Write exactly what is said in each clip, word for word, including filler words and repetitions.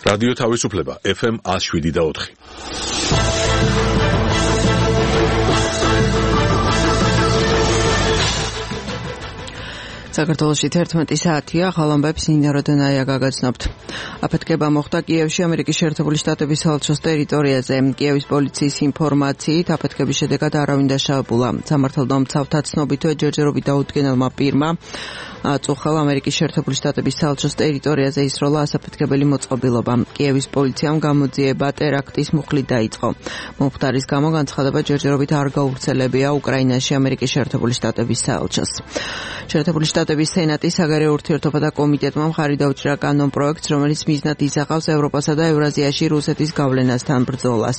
რადიო თავისუფლება ეფ ემ one oh seven და four. საქართველოში თერთმეტი საათია, ხალამბებს ნინა როდონაია გაგაცნობთ. აფეთქება მოხდა კიევში ამერიკის შეერთებული შტატების საელჩოს ტერიტორიაზე. კიევის პოლიციის ინფორმაციით აფეთქების შედეგად არავინ დაშავებულა. სამართალდამცავთა ცნობითო ჯერჯერობით დაუდგენელმა პირმა წუხლა ამერიკის შეერთებული შტატების საელჩოს ტერიტორიაზე ისროლა ასაფეთქებელი მოწყობილობა. კიევის პოლიციამ გამოძიება ტერაქტის მუხლით დაიწყო. მომხდარის გამო განცხადება ჯერჯერობით არ გავრცელებია უკრაინაში ამერიკის შეერთებული შტატების საელჩოს. შეერთებული შტატების სენატის საგარეო ურთიერთობათა კომიტეტმა მხარი დაუჭირა კანონ პროექტს, რომელიც მიზნად ისახავს ევროპასა და ევრაზიაში რუსეთის გავლენასთან ბრძოლას.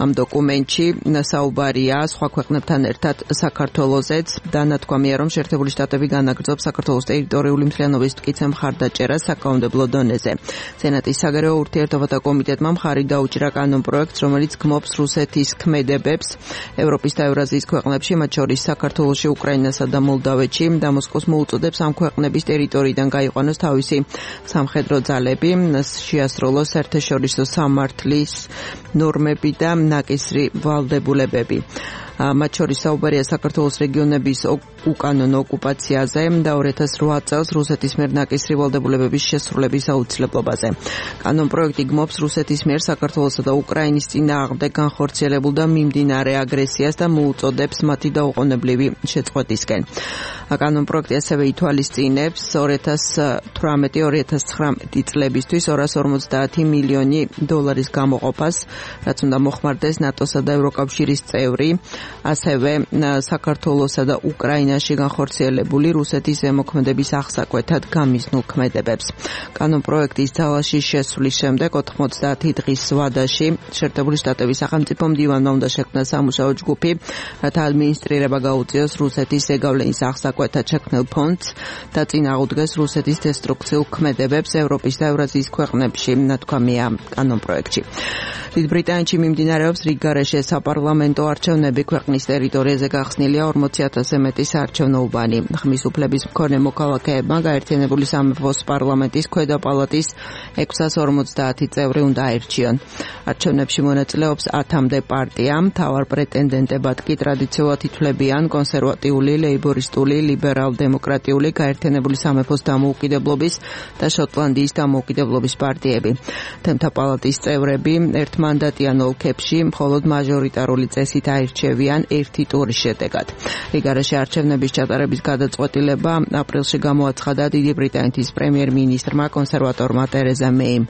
ამ დოკუმენტში საუბარია სხვა ქვეყნებთან ერთად საქართველოზეც და ნათქვამია, რომ შეერთებული შტატები განაგრძობს საქართველოს ტერიტორიული მთლიანობის მტკიცე მხარდაჭერას საკანონმდებლო დონეზე. სენატის საგარეო ურთიერთობათა კომიტეტმა მხარი დაუჭირა კანონ პროექტს, რომელიც გმობს რუსეთის ქმედებებს ევროპის და ევრაზიის ქვეყნებში, მათ შორის საქართველოში, უკრაინასა და მოლდავეთში და მოსკოვს მოუწოდებს ამ ქვეყნების ტერიტორიიდან გაიყვანოს თავისი სამხედრო ძალები, შეასრულოს საერთაშორისო სამართლის ნორმები და ნაკისრი ვალდებულებები. მათ შორის საუბარია საქართველოს რეგიონების უკანონო ოკუპაციაზე და two thousand eight წელს რუსეთის მიერ ნაკისრი ვალდებულებების შესრულების აუცილებლობაზე. კანონ პროექტი გმობს რუსეთის მიერ საქართველოსა და უკრაინის წინააღმდეგ განხორციელებულ და მიმდინარე აგრესიას და მოუწოდებს მათი დაუყოვნებლივი შეწყვეტისკენ. კანონ პროექტი ასევე ითვალისწინებს two thousand eighteen two thousand nineteen წლებისთვის two hundred forty მილიონი დოლარის გამოყოფას, რაც უნდა მოხმარდეს ნატოსა და ევროკავშირის წევრი, ასევე საქართველოსა და უკრაინაში განხორციელებული რუსეთის ზემოქმედების აღსაკვეთად გამიზნულ ქმედებებს. კანონ პროექტის ძალაში შესვლის შემდეგ ninety დღის ვადაში შეერთებული შტატების სახელმწიფო მდივანმა უნდა შექმნა სამუშაო ჯგუფი, რათა ადმინისტრირება გაუწიოს რუსეთის ზეგავლენის აღსაკვეთად შექმნილ ფონდს და წინააღმდეგეს რუსეთის დესტრუქციულ ქმედებებს ევროპის და ევრაზიის ქვეყნებში, ნათქვამია კანონ პროექტში. დიდ ბრიტანეთში მიმდინარეობს რიგგარეშე საპარლამენტო არჩევნები. ქვეყნის ტერიტორიაზე გახსნილია forty thousand-ზე მეტი საარჩევნო უბანი. ხმის უფლების მქონე მოქალაქეებმა გაერთიანებული სამეფოს პარლამენტის ქვედა პალატის six hundred forty წევრი უნდა აერჩიონ. არჩევნებში მონაწილეობს ათამდე პარტია, მთავარ პრეტენდენტებად კი ტრადიციულად ითვლებიან კონსერვატიული, ლეიბორისტული, ლიბერალ-დემოკრატიული, გაერთიანებული სამეფოს დამოუკიდებლობის და შოტლანდიის დამოუკიდებლობის პარტიები. თემთა პალატის წევრები ერთმანდატიან ოლქებში მხოლოდ მაჟორიტარული წესით აირჩევიან ერთი ტურის შედეგად. რიგგარეშე არჩევნების ჩატარების გადაწყვეტილება აპრილში გამოაცხადა დიდი ბრიტანეთის პრემიერ-მინისტრმა კონსერვატორმა ტერეზა მეიმ.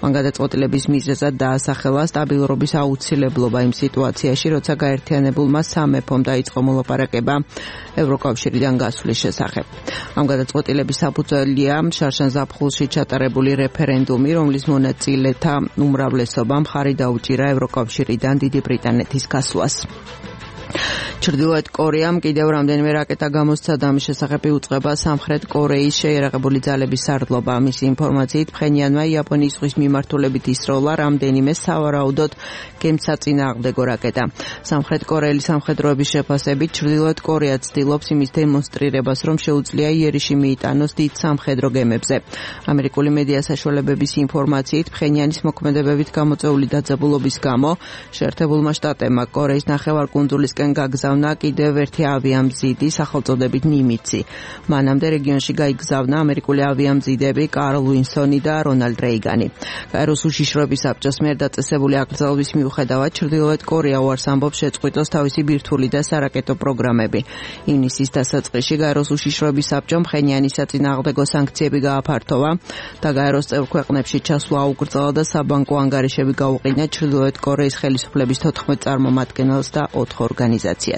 მან გადაწყვეტილების მიზეზად დაასახელა სტაბილურობის აუცილებლობა იმ სიტუაციაში, როცა გაერთიანებულმა სამეფომ დაიწყო მოლაპარაკება ევროკავშირიდან გასვლის შესახებ. ამ გადაწყვეტილების საფუძველია შარშან ზაფხულში ჩატარებული რეფერენდუმი, რომლის მონაწილეთა უმრავლესობამ მხარი დაუჭირა ევროკავშირიდან დიდი ბრიტანეთის გასვლას. ჩრდილოეთ კორეამ კიდევ რამდენიმე რაკეტა გამოსცადა, ამის შესახებ იუწყება სამხრეთ კორეის შეიარაღებული ძალების სარდლობა. მისი ინფორმაციით ფხენიანმა იაპონიის ზღვის მიმართულებით ისროლა რამდენიმე სავარაუდოდ გემსაწინააღმდეგო რაკეტა. სამხრეთ კორეელი სამხედროების შეფასებით ჩრდილოეთ კორეა ცდილობს იმის დემონსტრირებას, რომ შეუძლია იერიში მიიტანოს დიდ სამხედრო გემებზე. ამერიკული მედია საშუალებების ინფორმაციით ფხენიანის მოქმედებებით გამოწვეული დაძაბულობის გამო შეერთებულმა შტატებმა კორეის ნახევარკუნძულისკენ გაგზავნა კიდევ ერთი ავიამზიდი სახელწოდებით ნიმიცი. მანამდე რეგიონში გაიგზავნა ამერიკული ავიამზიდები კარლ უინსონი და რონალდ რეიგანი. გაეროს უშიშროების საბჭოს მიერ დაწესებული აკრძალვის მიუხედავად ჩრდილოეთ კორეა უარს ამბობს შეწყვიტოს თავისი ბირთვული და სარაკეტო პროგრამები. ივნისის დასაწყისში გაეროს უშიშროების საბჭომ ფხენიანის საწინააღმდეგო სანქციები გააფართოვა და გაეროს წევრ ქვეყნებში ჩასვლა აუკრძალა და საბანკო ანგარიშები გაუყინა ჩრდილოეთ კორეის ხელისუფლების თოთხმეტ წარმომადგენელს და ოთხ ორგანიზაციას.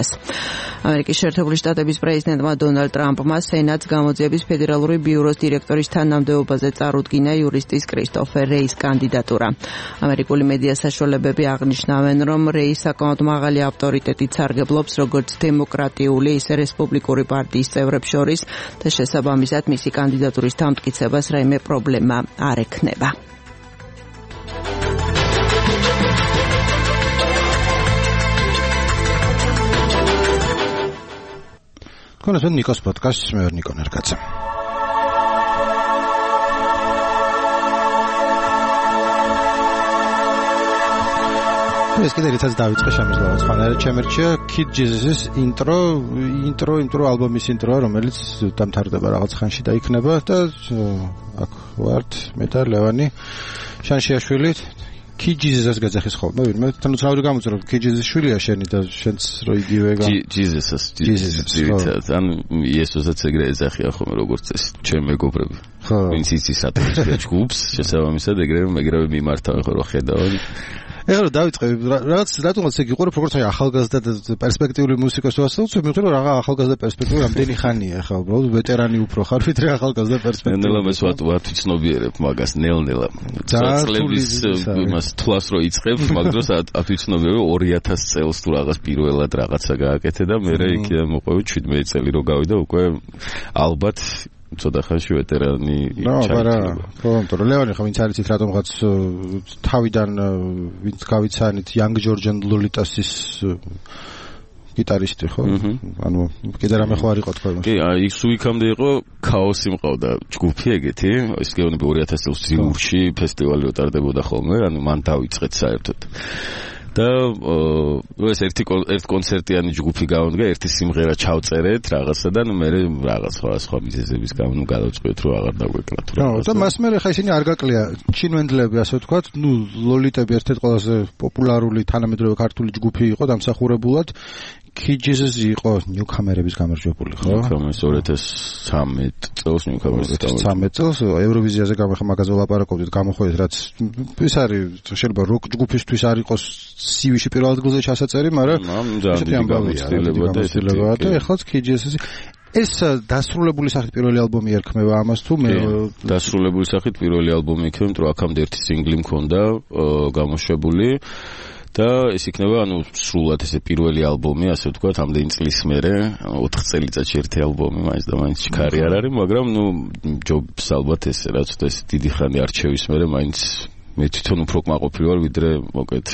ამერიკის შეერთებული შტატების პრეზიდენტმა დონალდ ტრამპმა სენატს გამოძიების ფედერალური ბიუროს დირექტორის თანამდებობაზე წარუდგინა იურისტის კრისტოფერ რეის კანდიდატურა. ამერიკული მედია საშუალებები აღნიშნავენ, რომ რეი საკმაოდ მაღალი ავტორიტეტით სარგებლობს როგორც დემოკრატიული, ისე რესპუბლიკური პარტიის წევრებს შორის და შესაბამისად მისი კანდიდატურის დამტკიცებას რაიმე პრობლემა არ ექნება. Konusun Nikos podcast με Νίκο Νερκάτσα. ეს კიდე რითაც დავიწყე შემიძლია ხანერა ჩემერჩია Kid Jesus-ის intro intro intro ალბომის ინტროა რომელიც დამთავრდება რაღაც ხანში და იქნება და აქ ვართ მე და ლევანი შანშიაშვილი Kid Jesus-ს გაძახის ხოლმე ვინმე თან უცნაური გამოწრო Kid Jesus-ის შვილია შენი და შენც რო იგივე გა Jesus-ს Jesus-ს ან იესოსაც ეგრე ეძახია ხოლმე როგორც ეს ჩემ მეგობრები ვინც იცის ატომის ჯგუფს შესაბამისად ეგრევე ეგრევე მიმართავენ ხო რა ხედავენ ეხლა დავიწყე რაღაც რატომაც ეგ იყო როგორც აი ახალგაზრდა და პერსპექტიული მუსიკას ვასწავლოთ მე მგონი რა ახალგაზრდა პერსპექტივა რამდენი ხანია ახლა უბრალოდ ვეტერანი უფრო ხარ ვიდრე ახალგაზრდა პერსპექტივა ნელა მე ვათ ვათვიცნობიერებ მაგას ნელ-ნელა წლების იმას თვლას რო იწყებ მაგ დროს ათვიცნობიერებ ორი ათასი წელს თუ რაღაც პირველად რაღაცა გააკეთე და მე იქიდან მოყვევი შვიდმეტი წელი რო გავიდა უკვე ალბათ ცოტა ხანში ვეტერანი ჩაიჭრა. ხო, იმიტომ რომ ლევანი ხომ ვინც არიცით რატომღაც თავიდან ვინც გავიცანით Young George and Lolitas-ის გიტარისტი ხო? ანუ კიდე რამე ხო არ იყო თქვენ? კი, აი სუიკამდე იყო ქაოსი მყავდა ჯგუფი ეგეთი, ის გეუბნები ორი ათასი წელს ტრიუმფში ფესტივალი რო ტარდებოდა ხოლმე, ანუ მან დავიწყეთ საერთოდ. და ეს ერთი ერთ კონცერტიანი ჯგუფი გავდგა, ერთი სიმღერა ჩავწერეთ რაღაცა და მე რაღაც სხვა სხვა მიზეზების გამო გადავწყვეტ რომ აღარ დაგვეკლა თუ რაღაცა. და მას მე ხა ისინი არ გაკლია ჩინვენდლები ასე ვთქვათ, ნუ ლოლიტები ერთ-ერთი ყველაზე პოპულარული თანამედროვე ქართული ჯგუფი იყო დამსახურებულად. Kid Jesus იყო ნიუკამერების გამარჯვებული, ხო? ნიუკამერს ორი ათასი ცხრამეტ წელს ნიუკამერს ცხრამეტ წელს ევროვიზიაზე გამახ მაგაზე ვლაპარაკობდით, გამოходит, რაც ის არის შეიძლება როკ ჯგუფისთვის არ იყოს სივიში პირველ ადგილზე ჩასაწერი, მაგრამ ესეთი გამოცდილება და ესეთი და ეხლაც Kid Jesus ეს დასრულებული სახით პირველი ალბომი ერქმევა ამას თუ მე დასრულებული სახით პირველი ალბომი იქნება, იმიტომ რომ აქამდე ერთი სინგლი მქონდა გამოშვებული და ეს იქნება ანუ სრულად ესე პირველი ალბომი, ასე ვთქვათ, ამდენი წლის მერე, ოთხ წელიწადში ერთი ალბომი, მაინც და მაინც ჩქარი არ არის, მაგრამ ნუ ჯობს ალბათ ესე რაც და ეს დიდი ხანი არჩევის მერე მაინც მე თვითონ უფრო კმაყოფილი ვარ, ვიდრე მოკეთ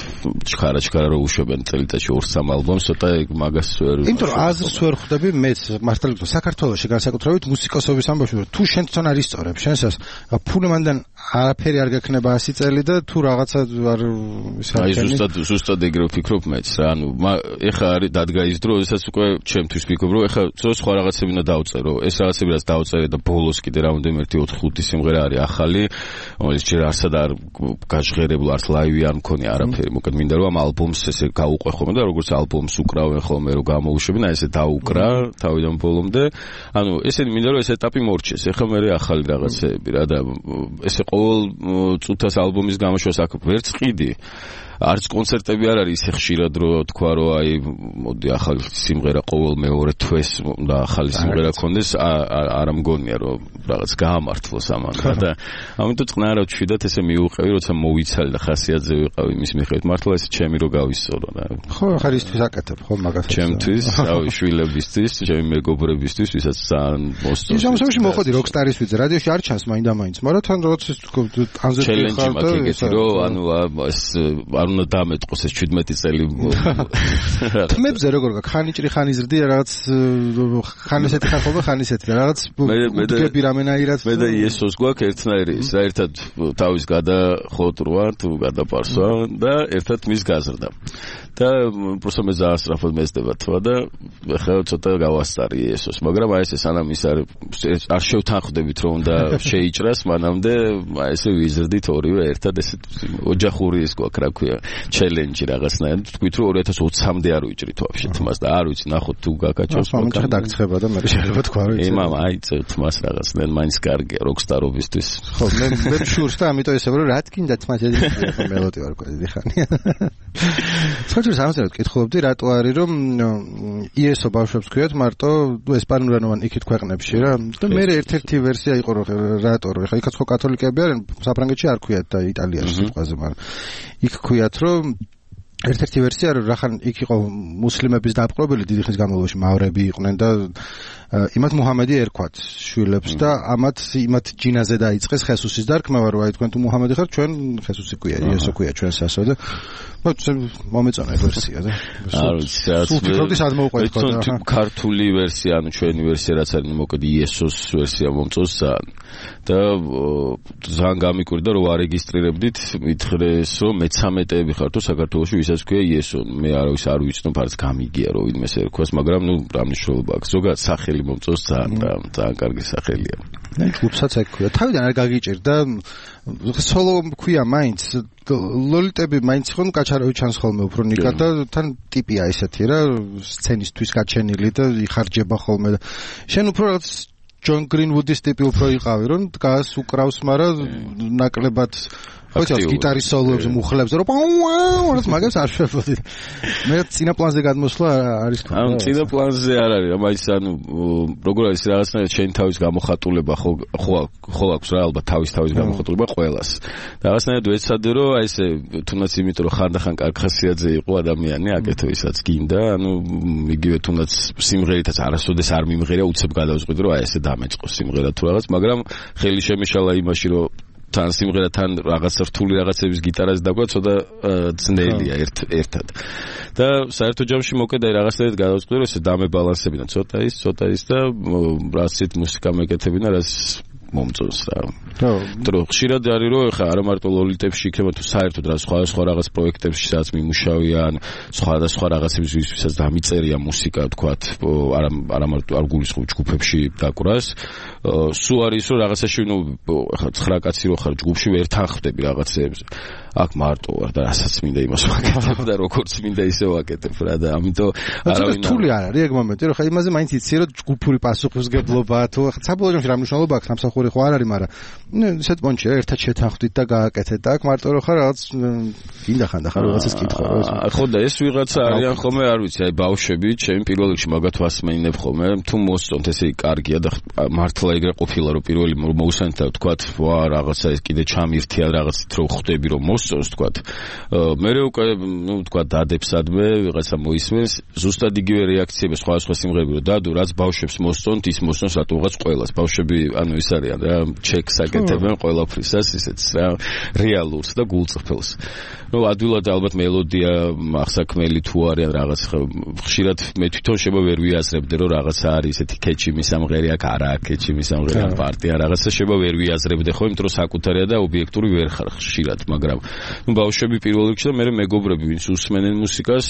ჩქარა-ჩქარა რო უშვებენ წელიწადში ორ სამ ალბომს, ცოტა ეგ მაგას ვერ იმიტომ რომ აზრს ვერ ხვდები მეც მართლა გითხრა საქართველოში განსაკუთრებით მუსიკოსობის ამბავში რომ თუ შენ თვითონ არ ისწორებ შენსას ფული მანდან არაფერი არ გექნება ასი წელი და თუ რაღაცა არ ის არ აი ზუსტად ზუსტად ეგრე ვფიქრობ მეც რა ანუ ეხა არის დადგა ის დრო როდესაც უკვე ჩემთვის ვფიქრობ რომ ეხა სხვა რაღაცები უნდა დავწერო ეს რაღაცები რაც დავწერე და ბოლოს კიდე რამოდენიმე ერთი ოთხ ხუთი სიმღერა არის ახალი რომელიც ჯერ არსად არ გაჟღერებულ არც ლაივი არ მქონია არაფერი მოკლედ მინდა რომ ამ ალბომს ესე გაუყვე ხოლმე და როგორც ალბომს უკრავენ ხოლმე რომ გამოუშვებინ აი ესე დაუკრა თავიდან ბოლომდე ანუ ესენი მინდა რომ ეს ეტაპი მორჩეს ეხლა მე ახალი რაღაცეები რა და ესე ყოველ წუთას ალბომის გამოშვას აქ ვერც ყიდი არც კონცერტები არ არის ისე ხშირად რომ თქვა რომ აი მოდი ახალი სიმღერა ყოველ მეორე თვეს და ახალი სიმღერა კონდეს არ მგონია რომ რაღაც გაამართლოს ამან და ამიტომ წყნაირავად ვშვიდათ ესე მიუყევი როცა მოვიცალე და ხასიათზე ვიყავი მის მიხედვით მართლა ეს ჩემი რო გავისწორო რა ხო ხარ ისთვის აკეთებ ხო მაგას ჩემთვის რავი შვილებისთვის ჩემი მეგობრებისთვის ვისაც ძალიან მოსწონს ის ამასობაში მოხდი როკსტარის ვიძე რადიოში არ ჩანს მაინდა-მაინც მაგრამ თან როგორც ანზე ჩელენჯი მაქვს ეგეთი რომ ანუ ეს არ უნდა დამეტყოს ეს შვიდმეტი წელი თმებზე როგორ გაქვს ხანიჭრი ხანი ზრდია რაღაც ხან ესეთი ხარ ხოლმე ხან ისეთი და რაღაც ბუდები რამენაირად მე და იესოს გვაქვს ერთნაირი ის რა ერთად თავის გადახოტრვა თუ გადაპარსვა და ერთად მის გაზრდა და просто მე ძალიან სწრაფად მეძდება თვა და ახლა ცოტა გავასწარი იესოს მაგრამ აი ეს სანამ ის არ არ შევთანხმდებით რომ უნდა შეიჭრას მანამდე აი ესე ვიზრდით ორივე ერთად ესე ოჯახური ის გვაქვს რა ქვია ჩელენჯი რაღაცნაირად თქვით რომ ორი ათას ოცამდე არ ვიჭრით ვაფშე თმას და არ ვიცი ნახოთ თუ გაკაჩავს მომჭრა დაგცხება და მე შეიძლება თქვა რომ ე მამა აი თმას რაღაცნაირად მაინც კარგია როკსტარობისთვის ხო მე მე შურს და ამიტომ ესე რომ რა თქინდა თმას ეძახი მელოდი ვარ ყოდი ხანი საერთოდ სამწუხაროდ კითხულობდი რატო არის რომ იესო ბავშვებს ქვიათ მარტო ესპანურენოვან იქით ქვეყნებში რა და მე ერთ-ერთი ვერსია იყო რომ რატო რომ ეხლა იქაც ხო კათოლიკეები არიან საფრანგეთში არ ქვიათ და იტალიაში სიტყვაზე მაგრამ იქ ქვიათ რომ ერთ-ერთი ვერსია რომ რახან იქ იყო მუსლიმების დაპყრობილი დიდი ხნის განმავლობაში მავრები იყვნენ და იმათ მუჰამედი ერქვათ შვილებს და ამათ იმათ ჯინაზე დაიწყეს ხესუსის დარქმევა, რომ აი თქვენ თუ მუჰამედი ხართ, ჩვენ ხესუსი გვია, იესო გვია ჩვენს ასო და მომეწონა ვერსია და არ ვიცი რა ვფიქრობდი სად მოვყვეთ ხო ქართული ვერსია, ანუ ჩვენი ვერსია რაც არის მოკლედ იესოს ვერსია მომწონს და ძალიან გამიკვირდა რომ არეგისტრირებდით, მითხრეს რომ მეცამეტეები ხართ თუ საქართველოში ვისაც ქვია იესო, მე არავის არ ვიცნობ, არც გამიგია რომ ვინმეს ერქვას, მაგრამ ნუ რა მნიშვნელობა აქვს, ზოგადად სახელი მომწონს ძალიან ძალიან კარგი სახელია. და ჯგუფსაც ექვია. თავიდან არ გაგიჭირდა სოლო ქვია მაინც ლოლიტები მაინც ხომ კაჩარავი ჩანს ხოლმე უფრო ნიკა და თან ტიპია ესეთი რა სცენისთვის გაჩენილი და იხარჯება ხოლმე და შენ უფრო რაღაც ჯონ გრინვუდის ტიპი უფრო იყავი რომ დგას უკრავს, მაგრამ ნაკლებად ხო იცი გიტარის სოლოებს მუხლებს რომ პაუ მაგას არ შეფოდი. მე წინა პლანზე გადმოსვლა არის თქო. ანუ წინა პლანზე არ არის, მაინც ანუ როგორ არის რაღაცნაირად შენ თავის გამოხატულება ხო ხო აქვს რა ალბათ თავის თავის გამოხატულება ყველას. რაღაცნაირად ვეცადე რომ აი ესე თუნდაც იმიტომ რომ ხანდახან კარგ ხასიათზე იყო ადამიანი, აკეთო ისაც გინდა, ანუ იგივე თუნდაც სიმღერითაც არასოდეს არ მიმღერია, უცებ გადავწყვიტე რომ აი ესე დამეწყო სიმღერა თუ რაღაც, მაგრამ ხელი შემეშალა იმაში რომ თან სიმღერათან რაღაც რთული რაღაცების გიტარაზე დაგვა ცოტა ძნელია ერთ ერთად. და საერთო ჯამში მოკედა რაღაცნაირად გადავწყვიტე რომ ესე დამებალანსებინა ცოტა ის ცოტა ის და რაც ცით მუსიკა მეკეთებინა, რაც მომწონს რა. ხო, ხშირად არის რომ ხა არა მარტო ლოლიტებში იქნება თუ საერთოდ რა სხვა სხვა რაღაც პროექტებში სადაც მიმუშავიან, სხვა და სხვა რაღაცების ვისაც დამიწერია მუსიკა, თქვათ, არა არა მარტო არ გულისხმობ ჯგუფებში დაკვრას. სულ არის რომ რაღაცაში ნუ ხა ცხრა კაცი რო ხარ ჯგუფში ვერ თანხმდები რაღაცეებს. აქ მარტო ვარ და რასაც მინდა იმას ვაკეთებ და როგორც მინდა ისე ვაკეთებ რა და ამიტომ არავინ რთული არ არის ეგ მომენტი რომ ხა იმაზე მაინც იცი რომ ჯგუფური პასუხისგებლობა თუ ხა საბოლოო ჯამში რა მნიშვნელობა აქვს სამსახური ხო არ არის, მაგრამ ნუ ისეთ პონჩი რა ერთად შეთანხმდით და გააკეთეთ და აქ მარტო რო ხარ რაღაც გინდა ხანდახან რაღაცას კითხო რა. ხო და ეს ვიღაცა არიან ხოლმე არ ვიცი, აი ბავშვები, ჩემი პირველ რიგში მაგათ ვასმენინებ ხოლმე, თუ მოსწონთ ესე კარგია და მართლა ეგრე ყოფილა რომ პირველი მოусანთ და თქვათ ვა რაღაცა ეს კიდე ჩამირთია რაღაცით რომ ხვდები რომ მოსწონს თქვათ. მე უკვე ნუ თქვათ დადებსადმე ვიღაცა მოისმენს, ზუსტად იგივე რეაქციები სხვა სხვა სიმღერები რომ დადო, რაც ბავშვებს მოსწონთ, ის მოსწონს რატოღაც ყველას. ბავშვები ანუ ის არიან რა ჩეკს აკეთებენ ყველაფრისას ისეც რა რეალურს და გულწრფელს. ნუ ადვილად ალბათ მელოდია ახსაქმელი თუ არიან რაღაც ხშირად მე თვითონ შევა ვერ ვიაზრებდე რომ რაღაცა არის ესეთი კეჩი მისამღერი აქ არა კეჩი მისამღერი ამ პარტია რაღაცა შევა ვერ ვიაზრებდე ხო, იმიტომ რომ საკუთარია და ობიექტური ვერ ხარ ხშირად, მაგრამ ნუ ბავშვები პირველ რიგში და მე მეგობრები ვინც უსმენენ მუსიკას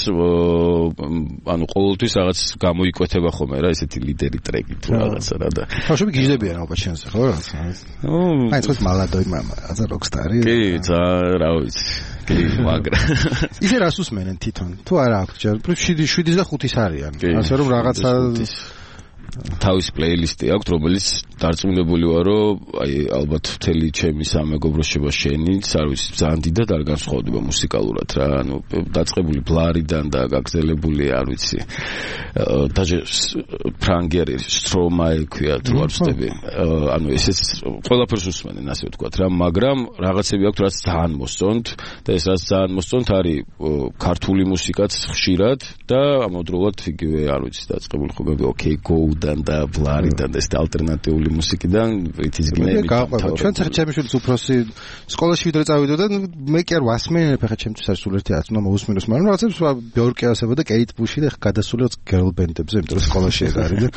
ანუ ყოველთვის რაღაც გამოიკვეთება ხოლმე რა ესეთი ლიდერი ტრეკი თუ რაღაცა რა და ბავშვები გიჟდებიან ალბათ შენზე ხო რაღაცა აი ეს მალადოი მამა რაღაცა როკსტარი კი ცა რა ვიცი კი მაგრამ ისე რას უსმენენ თვითონ თუ არა აქვს ჯერ შვიდი და ხუთის არიან ასე რომ რაღაცა თავის პლეილისტი აქვს, რომელიც დარწმუნებული ვარ, რომ აი ალბათ მთელი ჩემი სამეგობრო შევა შენიც, არ ვიცი, ძალიან დიდად არ განსხვავდება მუსიკალურად რა, ანუ დაწყებული ბლარიდან და გაგზელებული, არ ვიცი. დაჟე ფრანგერი სტრომაი ქვია, თუ არ ვწდები. ანუ ესეც ყველაფერს უსმენენ, ასე ვთქვათ რა, მაგრამ რაღაცები აქვს, რაც ძალიან მოსწონთ და ეს რაც ძალიან მოსწონთ არის ქართული მუსიკაც ხშირად და ამავდროულად იგივე, არ ვიცი, დაწყებული ხო ოკეი გო და ბლარიდან და ეს ალტერნატიული მუსიკიდან ვითის გინები გაყვება. ჩვენ ხა ჩემი შვილიც უფროსი სკოლაში ვიდრე წავიდოდა და მე კი არ ვასმენებ ხა ჩემთვის არის სულ ერთი ათი უნდა მოусმინოს, მაგრამ რაღაცებს ბიორკი ასებოდა კეით ბუში და გადასულია გერლ ბენდებზე, იმიტომ რომ სკოლაში ეგ არის და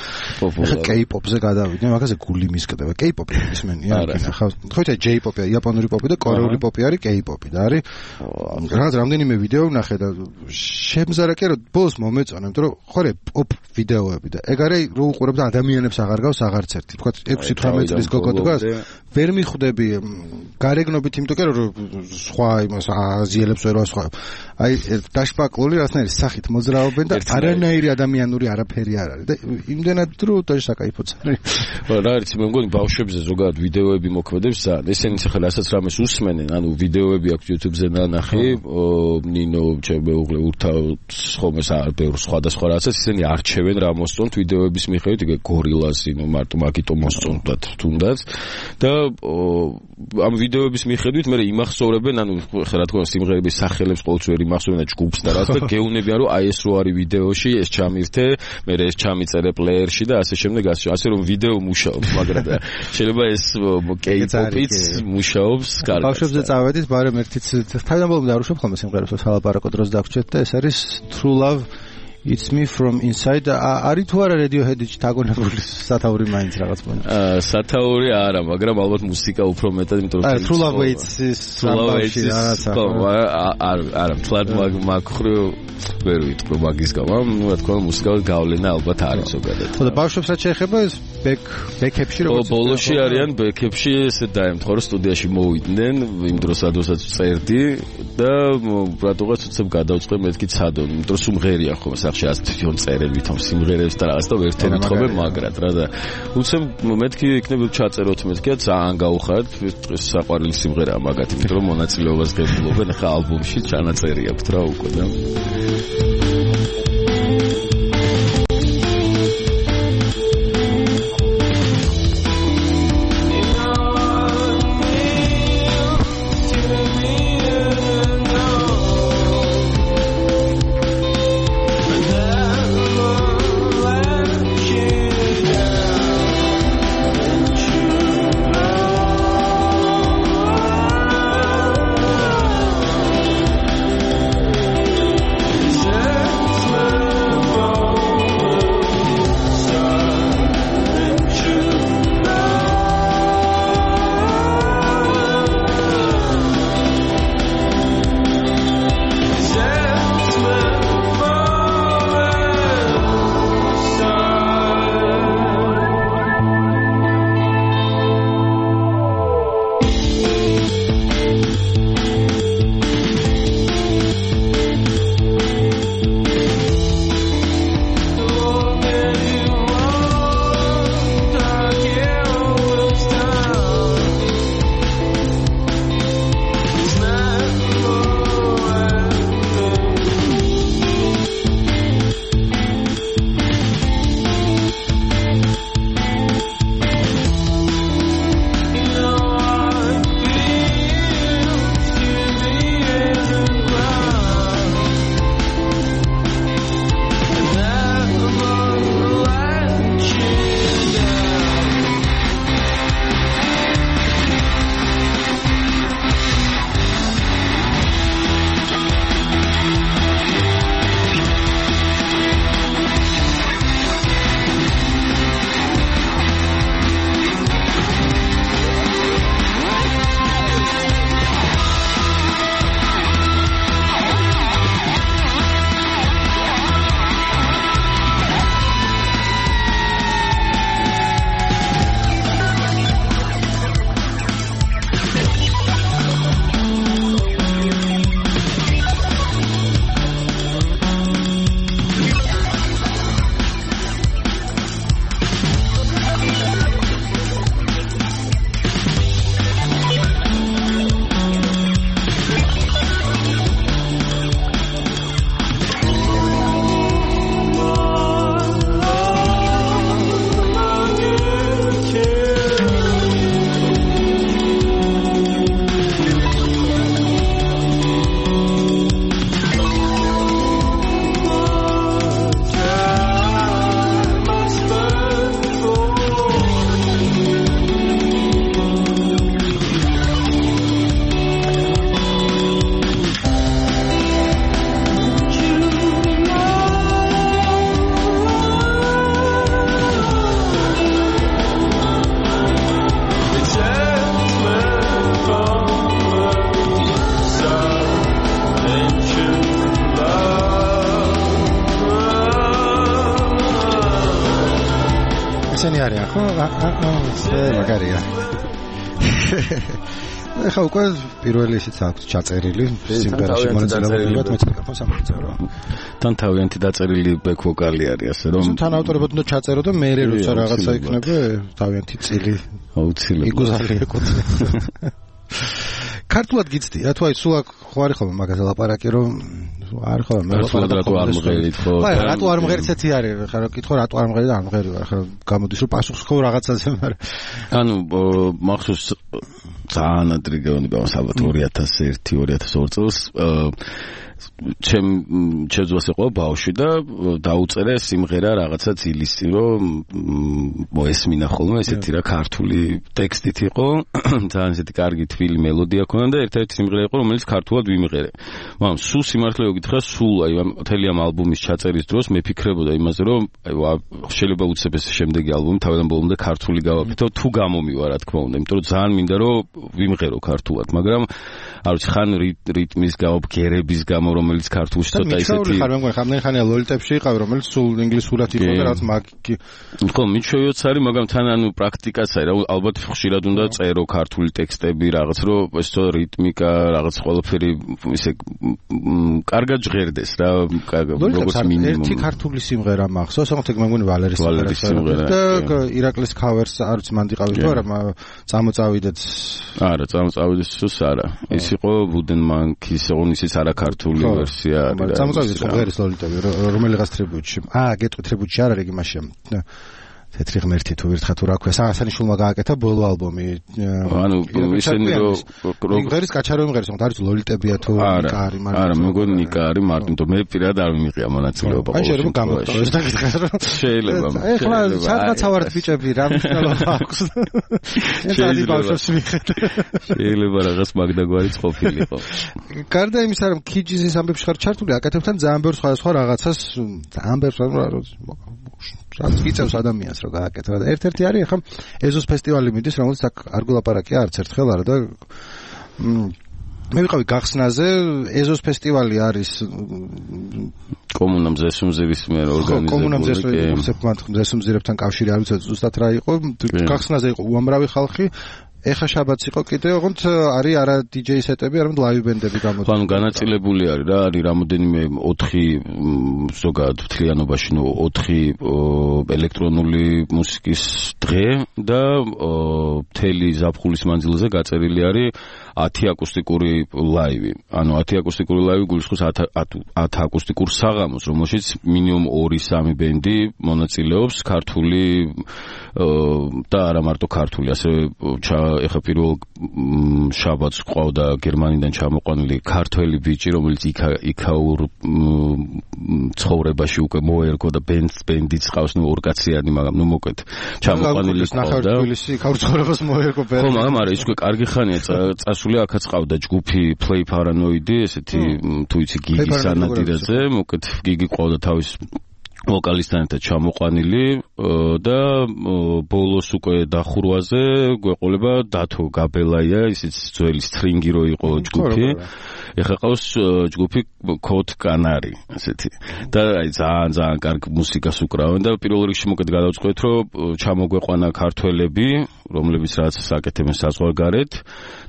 ხა კეი-პოპზე გადავიდნენ, მაგაზე გული მისკდება. კეი-პოპი ისმენია, ხა ხო იცი ჯეი-პოპი, იაპონური პოპი და კორეული პოპი არის კეი-პოპი და არის რაღაც რამდენიმე ვიდეო ვნახე და შემზარა კი რომ ბოლოს მომეწონა, იმიტომ რომ ხორე პოპ ვიდეოები და ეგ არის რო უყურებ და ადამიანებს აღარ გავს აღარც ერთი. თქვა ექვსი თვრამეტი წლის გოგო დგას, ვერ მიხვდები გარეგნობით, იმიტომ რომ სხვა იმას აზიელებს ვერ ვასხავ. აი დაშპაკლული რაღაცნაირი სახით მოძრაობენ და არანაირი ადამიანური არაფერი არ არის და იმდენად დრო და საკაიფოც არის. რა არის მე მგონი ბავშვებზე ზოგადად ვიდეოები მოქმედებს ძალიან. ესენი ახლა რასაც რამეს უსმენენ, ანუ ვიდეოები აქვს YouTube-ზე ნანახი, ნინო ჩემ მეუღლე ურთავ ხოლმე საერთოდ სხვადასხვა რაღაცას ისინი არჩევენ რა მოსწონთ ვიდეოების მიხედვით მიხედვით, იგივე გორილას, ნუ მარტო მაგიტო მოსწონდათ თუნდაც და ამ ვიდეოების მიხედვით მე იმახსოვრებენ, ანუ ხა რა თქმა უნდა სიმღერების სახელებს ყოველთვის ვერ იმახსოვრებენ და ჯგუფს და რაც და გეუნებიან რომ აი ეს რო არის ვიდეოში, ეს ჩამირთე, მე ეს ჩამიწერე პლეიერში და ასე შემდეგ, ასე რომ ვიდეო მუშაობს, მაგრამ შეიძლება ეს K-pop-იც მუშაობს კარგად. ბავშვებზე წავედით, მაგრამ ერთიც თავდამბოლომდე არ უშვებ ხოლმე სიმღერებს სალაპარაკო დროს დაგვრჩეთ და ეს არის True Love It's Me From Inside. არის თუ არა Radiohead-ში დაგონებული სათაური მაინც რაღაც პონი. აა სათაური არა, მაგრამ ალბათ მუსიკა უფრო მეტად, იმიტომ რომ True Love Waits-ის სამბავში რაღაცა. არა, არა, თლად მაგხრი ვერ ვიტყვი მაგის გამო, ნუ რა თქმა უნდა მუსიკალურ გავლენა ალბათ არის ზოგადად. ხო და ბავშვებს რაც შეეხება ეს ბექ ბექებში როგორც ბოლოში არიან ბექებში ესე დაემთხვა რომ სტუდიაში მოვიდნენ იმ დროს სადღაც წერდი და რატოღაც უცებ გადავწყვე მეთქი ცადონ, იმიტომ რომ სიმღერია ხო სახში ასე თვითონ წერები თომ სიმღერებს და რაღაც და ვერტენ ეთხოვე მაგრად რა და უცებ მეთქი იქნება ჩაწეროთ მეთქია ძალიან გაუხარეთ ეს საყვარელი სიმღერაა მაგათი, იმიტომ რომ მონაწილეობას ღებულობენ ხა ალბომში ჩანაწერი აქვს რა უკვე და ესენი არიან ხო? მაგარია. ეხა უკვე პირველი ისიც აქვს ჩაწერილი სიმღერაში მონაწილეობრივად მეც მიკროფონს ამოწერო. თან თავიანთი დაწერილი ბექ ვოკალი არის ასე რომ თან ავტორებად უნდა ჩაწერო და მე როცა რაღაცა იქნება თავიანთი წილი აუცილებლად იგუზალი ეკუთვნის. ქართულად გიცდია თუ აი სულ ხო არის ხოლმე მაგაზე ლაპარაკი რომ არ ხო მე ლაპარაკი არ მღერით ხო აი რატო არ მღერით ესეთი არის ხა რა კითხო რატო არ მღერი და არ მღერი ვარ ხა გამოდის რომ პასუხს ხო რაღაცაზე მაგრამ ანუ მახსოვს ძალიან ადრე გეუბნება ალბათ ორი ათას ერთი ორი ათას ორი წელს ჩემ ჩემს იყო ბავშვი და დაუწერე სიმღერა რაღაცა ძილის წინ რომ მოესმინა ხოლმე ესეთი რა ქართული ტექსტით იყო ძალიან ესეთი კარგი თბილი მელოდია ქონდა და ერთ-ერთი სიმღერა იყო რომელიც ქართულად ვიმღერე მაგრამ სულ სიმართლე გითხრა სულ აი მთელი ამ ალბომის ჩაწერის დროს მე ფიქრებოდა იმაზე რომ აი შეიძლება უცებ ეს შემდეგი ალბომი თავიდან ბოლომდე ქართული გავაკეთო თუ გამომივა რა თქმა უნდა იმიტომ რომ ძალიან მინდა რომ ვიმღერო ქართულად მაგრამ არ ვიცი ხან რიტმის გამო ბგერების გამო რომელიც ქართულში ცოტა ისეთი ხარ მე მგონი ხამდენ ხანია ლოლიტებში იყავი რომელიც სულ ინგლისურად იყო და რაც მაგ ხო მიჩვევიოც არის მაგრამ თან ანუ პრაქტიკაც არის რა ალბათ ხშირად უნდა წერო ქართული ტექსტები რაღაც რომ ეს თო რიტმიკა რაღაც ყველაფერი ისე კარგად ჟღერდეს რა როგორც მინიმუმ ერთი ქართული სიმღერა მახსოვს ოღონდ მე მგონი ვალერის სიმღერა და ირაკლის ქავერს არ ვიცი მანდ იყავით თუ არა წამოწავიდეთ არა წამოწავიდეთ სულს არა ის იყო ვუდენმანკის ონისის არა ქართული ვერსია არის. წამოწავიდეთ ღერის ლოლიტები რომელიღაც ტრიბუტში. აა გეტყვით ტრიბუტში არ არის იმაში. თეთრი ღმერთი თუ ვირთხა თუ რა ქვია საასანიშვილმა გააკეთა ბოლო ალბომი. ანუ ისინი რომ ღერის კაჩარო იმღერის თქო არის ლოლიტებია თუ ნიკა არის მაგრამ არა მეგონი ნიკა არის მარტო მე პირად არ მიმიყია მონაწილეობა. აი შეიძლება გამოგტოვეს და გითხარ რომ შეიძლება. ეხლა სადღაც ავართ ბიჭები რა მნიშვნელობა აქვს. შეიძლება ბავშვებს მიხედე. შეიძლება რაღაც მაგდაგვარი ყოფილიყო. გარდა იმისა რომ ქიჯის ამბებში ხარ ჩართული აკეთებთან ძალიან ბევრ სხვადასხვა რაღაცას ძალიან ბევრ რა რაც გიწევს ადამიანს რომ გააკეთო და ერთ-ერთი არის ახლა ეზოს ფესტივალი მიდის რომელიც აქ არ გულაპარაკია არც ერთხელ არა და მე ვიყავი გახსნაზე ეზოს ფესტივალი არის კომუნა მზესუმზირის მიერ ორგანიზებული კომუნა მზესუმზირებთან კავშირი არ ვიცი ზუსტად რა იყო გახსნაზე იყო უამრავი ხალხი ეხა შაბათს იყო კიდე ოღონდ არის არა დიჯეი სეტები, არამედ ლაივ ბენდები გამოდის. ანუ განაწილებული არის რა, არის რამოდენიმე ოთხი ზოგადად მთლიანობაში, ნუ ოთხი ელექტრონული მუსიკის დღე და მთელი ზაფხულის მანძილზე გაწერილი არის ათი აკუსტიკური ლაივი. ანუ ათი აკუსტიკური ლაივი გულისხმობს ათ აკუსტიკურ საღამოს, რომელშიც მინიმუმ ორი სამი ბენდი მონაწილეობს ქართული და არა მარტო ქართული, ასევე ეხა პირველ შაბათს ყავდა გერმანიდან ჩამოყვანილი ქართველი ბიჭი, რომელიც იქაურ ცხოვრებაში უკვე მოერგო და ბენდს ბენდიც ყავს, ნუ ორკაციანი, მაგრამ ნუ მოკლედ ჩამოყვანილი ყავდა. თბილისში იქაურ ცხოვრებას მოერგო ბენდი. ხო, მაგრამ არა, ის უკვე კარგი ხანია წასული, აქაც ყავდა ჯგუფი Play Paranoid-ი, ესეთი თუ იცი გიგი სანადირაძე, მოკლედ გიგი ყავდა თავის ვოკალისტთან ერთად ჩამოყვანილი და ბოლოს უკვე დახურვაზე გვეყოლება დათო გაბელაია, ისიც ძველი სტრინგი რო იყო ჯგუფი. ეხლა ყავს ჯგუფი Code Canary, ესეთი. და აი ძალიან ძალიან კარგი მუსიკას უკრავენ და პირველ რიგში მოკეთ გადავწყვეტ, რომ ჩამოგვეყვანა ქართველები, რომლებიც რაც აკეთებენ საზღვარგარეთ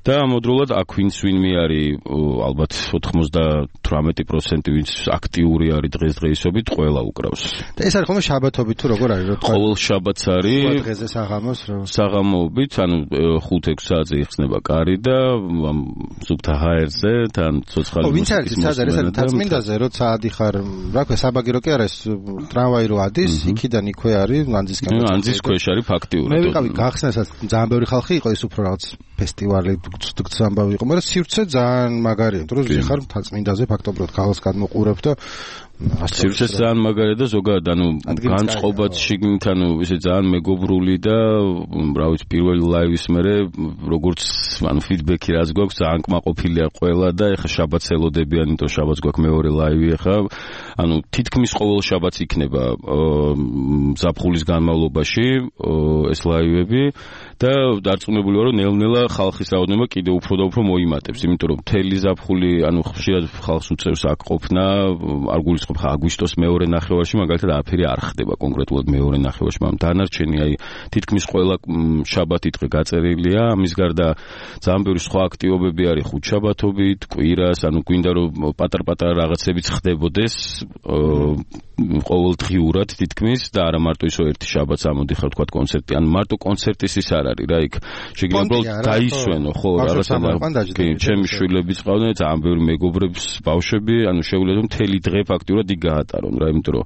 და ამოდროულად აქ ვინც ვინმე არის ალბათ ოთხმოცდათვრამეტი პროცენტი ვინც აქტიური არის დღესდღეობით, ყველა უკრავს. და ეს არის ხოლმე შაბათობით თუ როგორ არის? ყოველ შაბათს არის დღეზე საღამოს რო საღამოობით, ანუ ხუთ ექვს საათზე იხსნება კარი და ზუგთა ჰაერზე თან ცოცხალი მუსიკის. ო, ვინც არის ეს არის ეს თაწმინდაზე, როცა ადიხარ, რა ქვია, საბაგირო კი არა ეს ტრამვაი რო ადის, იქიდან იქვე არის ანძისკენ. ანძის ქვეშ არის ფაქტიურად. მე ვიყავი გახსნასაც ძალიან ბევრი ხალხი იყო ის უფრო რაღაც ფესტივალი თქც ამბავი იყო, მაგრამ სივრცე ძალიან მაგარია, იმიტომ რომ ვიხარ თაწმინდაზე ფაქტობრივად ხალხს გადმოყურებ და სივრცე ძალიან მაგარია და ზოგადად ანუ განწყობაც შიგნით ანუ ისე ძალიან მეგობრული და რა ვიცი პირველი ლაივის მერე როგორც ანუ ფიდბექი რაც გვაქვს ძალიან კმაყოფილია ყველა და ეხა შაბათს ელოდებიან, იმიტომ შაბათს გვაქვს მეორე ლაივი ეხა ანუ თითქმის ყოველ შაბათს იქნება ზაფხულის განმავლობაში ეს ლაივები და დარწმუნებული ვარ რომ ნელ-ნელა ხალხის რაოდენობა კიდევ უფრო და უფრო მოიმატებს, იმიტომ რომ მთელი ზაფხული ანუ ხშირად ხალხს უწევს აქ ყოფნა, არ გულისხმობ ხა აგვისტოს მეორე ნახევარში მაგალითად არაფერი არ ხდება კონკრეტულად მეორე ნახევარში, მაგრამ დანარჩენი აი თითქმის ყველა შაბათი დღე გაწერილია, ამის გარდა ძალიან ბევრი სხვა აქტივობები არის ხუთშაბათობით, კვირას, ანუ გვინდა რომ პატარ-პატარა რაღაცებიც ხდებოდეს ყოველდღიურად თითქმის და არა მარტო ისო ერთი შაბათს ამოდიხარ თქვა კონცერტი, ანუ მარტო კონცერტის ის არ არის რა იქ. შეგიძლია უბრალოდ დაისვენო, ხო, რაღაცა კი, ჩემი შვილებიც ყავდნენ, ძალიან ბევრი მეგობრებს, ბავშვები, ანუ შეუძლია რომ მთელი დღე ფაქტიურად იქ გაატარონ რა, იმიტომ რომ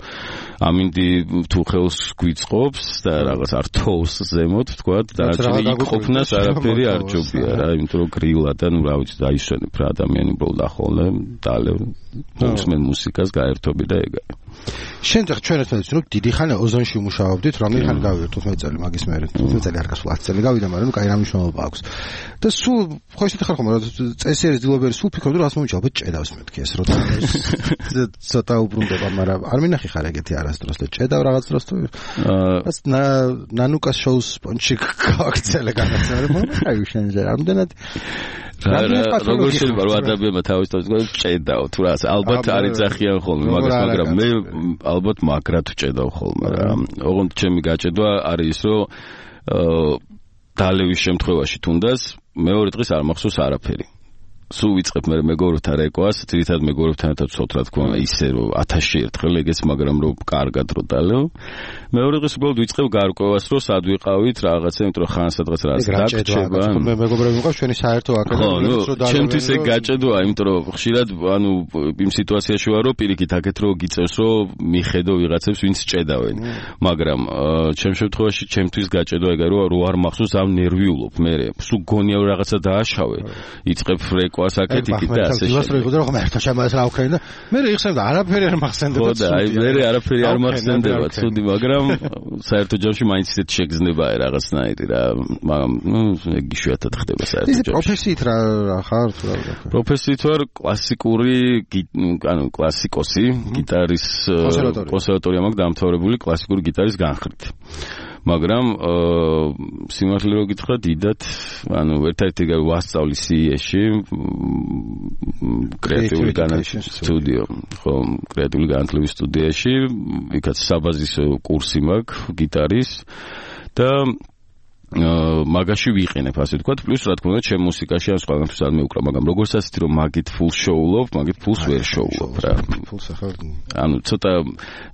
ამინდი თუ ხელს გვიწყობს და რაღაც არ თოვს ზემოთ, თქვა, დანარჩენი იქ ყოფნას არაფერი არ ჯობია რა, იმიტომ რომ გრილა და ნუ რა ვიცი, დაისვენებ რა ადამიანი ბოლო ახლა დალევ მოსმენ მუსიკას გაერთობი და ეგ არის. შენ ხა ჩვენ ერთად ვიცით რომ დიდი ხანი ოზონში ვმუშაობდით, რომელი ხანი გავიარეთ თხუთმეტი წელი მაგის მერე, თხუთმეტი წელი არ გასულა, ათი წელი გავიდა, მაგრამ კაი რა მნიშვნელობა აქვს. და სულ ხო ისეთი ხარ ხომ რა წესიერის დილობერი სულ ფიქრობდი რომ ასე მომიჭა, ჭედავს მეთქი ეს როცა ცოტა უბრუნდება, მაგრამ არ მინახი ხარ ეგეთი არასდროს და ჭედავ რაღაც დროს თუ რაც ნანუკას შოუს სპონჩი გააქცელე განაცალე მაგრამ აი შენ რამდენად როგორ შეიძლება რომ ადამიანმა თავის თავის ჭედაო თუ რა ალბათ არ ეძახიან ხოლმე მაგას, მაგრამ მე ალბათ მაგრად ვჭედავ ხოლმე რა. ოღონდ ჩემი გაჭედვა არის ის რომ დალევის შემთხვევაში თუნდაც მეორე დღეს არ მახსოვს არაფერი. სულ ვიწყებ მე მეგობრებთან რეკვას, თვითონ მეგობრებთან ერთად ვცოთ რა თქმა უნდა ისე რომ ათასში ერთხელ ეგეც, მაგრამ რომ კარგად რო დალევ. მეორე დღეს უბრალოდ ვიწყებ გარკვევას რომ სად ვიყავით რაღაცა, იმიტომ რომ ხან სადღაც რაღაც დაგჭება. მე მეგობრები მიყავს ჩვენი საერთო აკადემია რო დალევ. ჩემთვის ეგ გაჭედვა, იმიტომ რომ ხშირად ანუ იმ სიტუაციაში ვარ რომ პირიქით აქეთ რო გიწევს რომ მიხედო ვიღაცებს ვინც ჭედავენ. მაგრამ ჩემ შემთხვევაში ჩემთვის გაჭედვა ეგა რომ რო არ მახსოვს ამ ნერვიულობ მე. სულ გონია რომ რაღაცა დააშავე. იწყებ რეკვა ასაკეთი და ასე შეიძლება. ის რო იგო რომ ერთად შემოეს რა ვქენი და მე იხსენებ და არაფერი არ მახსენდება. ხო და აი მე არაფერი არ მახსენდება, ცუდი, მაგრამ საერთო ჯამში მაინც ისეთ შეგრძნება რაღაცნაირი რა, მაგრამ ნუ ეგ იშვიათად ხდება საერთო ჯამში. ის პროფესიით რა ხარ თუ რა ვქო? პროფესიით ვარ კლასიკური, ანუ კლასიკოსი, გიტარის კონსერვატორია მაქვს დამთავრებული კლასიკური გიტარის განხრით. მაგრამ სიმართლე რო გითხრა დიდად, ანუ ერთ-ერთი ვასწავლი სი ი-ში კრეატიული განათლების სტუდიო, ხო, კრეატიული განათლების სტუდიაში, იქაც საბაზისო კურსი მაქვს გიტარის და მაგაში ვიყენებ ასე ვთქვათ, პლუს რა თქმა უნდა ჩემ მუსიკაში ამ სხვადასხვა არ მეუკრა, მაგრამ როგორც ასეთი რომ მაგით ფულ შოულობ, მაგით ფულს ვერ შოულობ რა. ფულს ახალ. ანუ ცოტა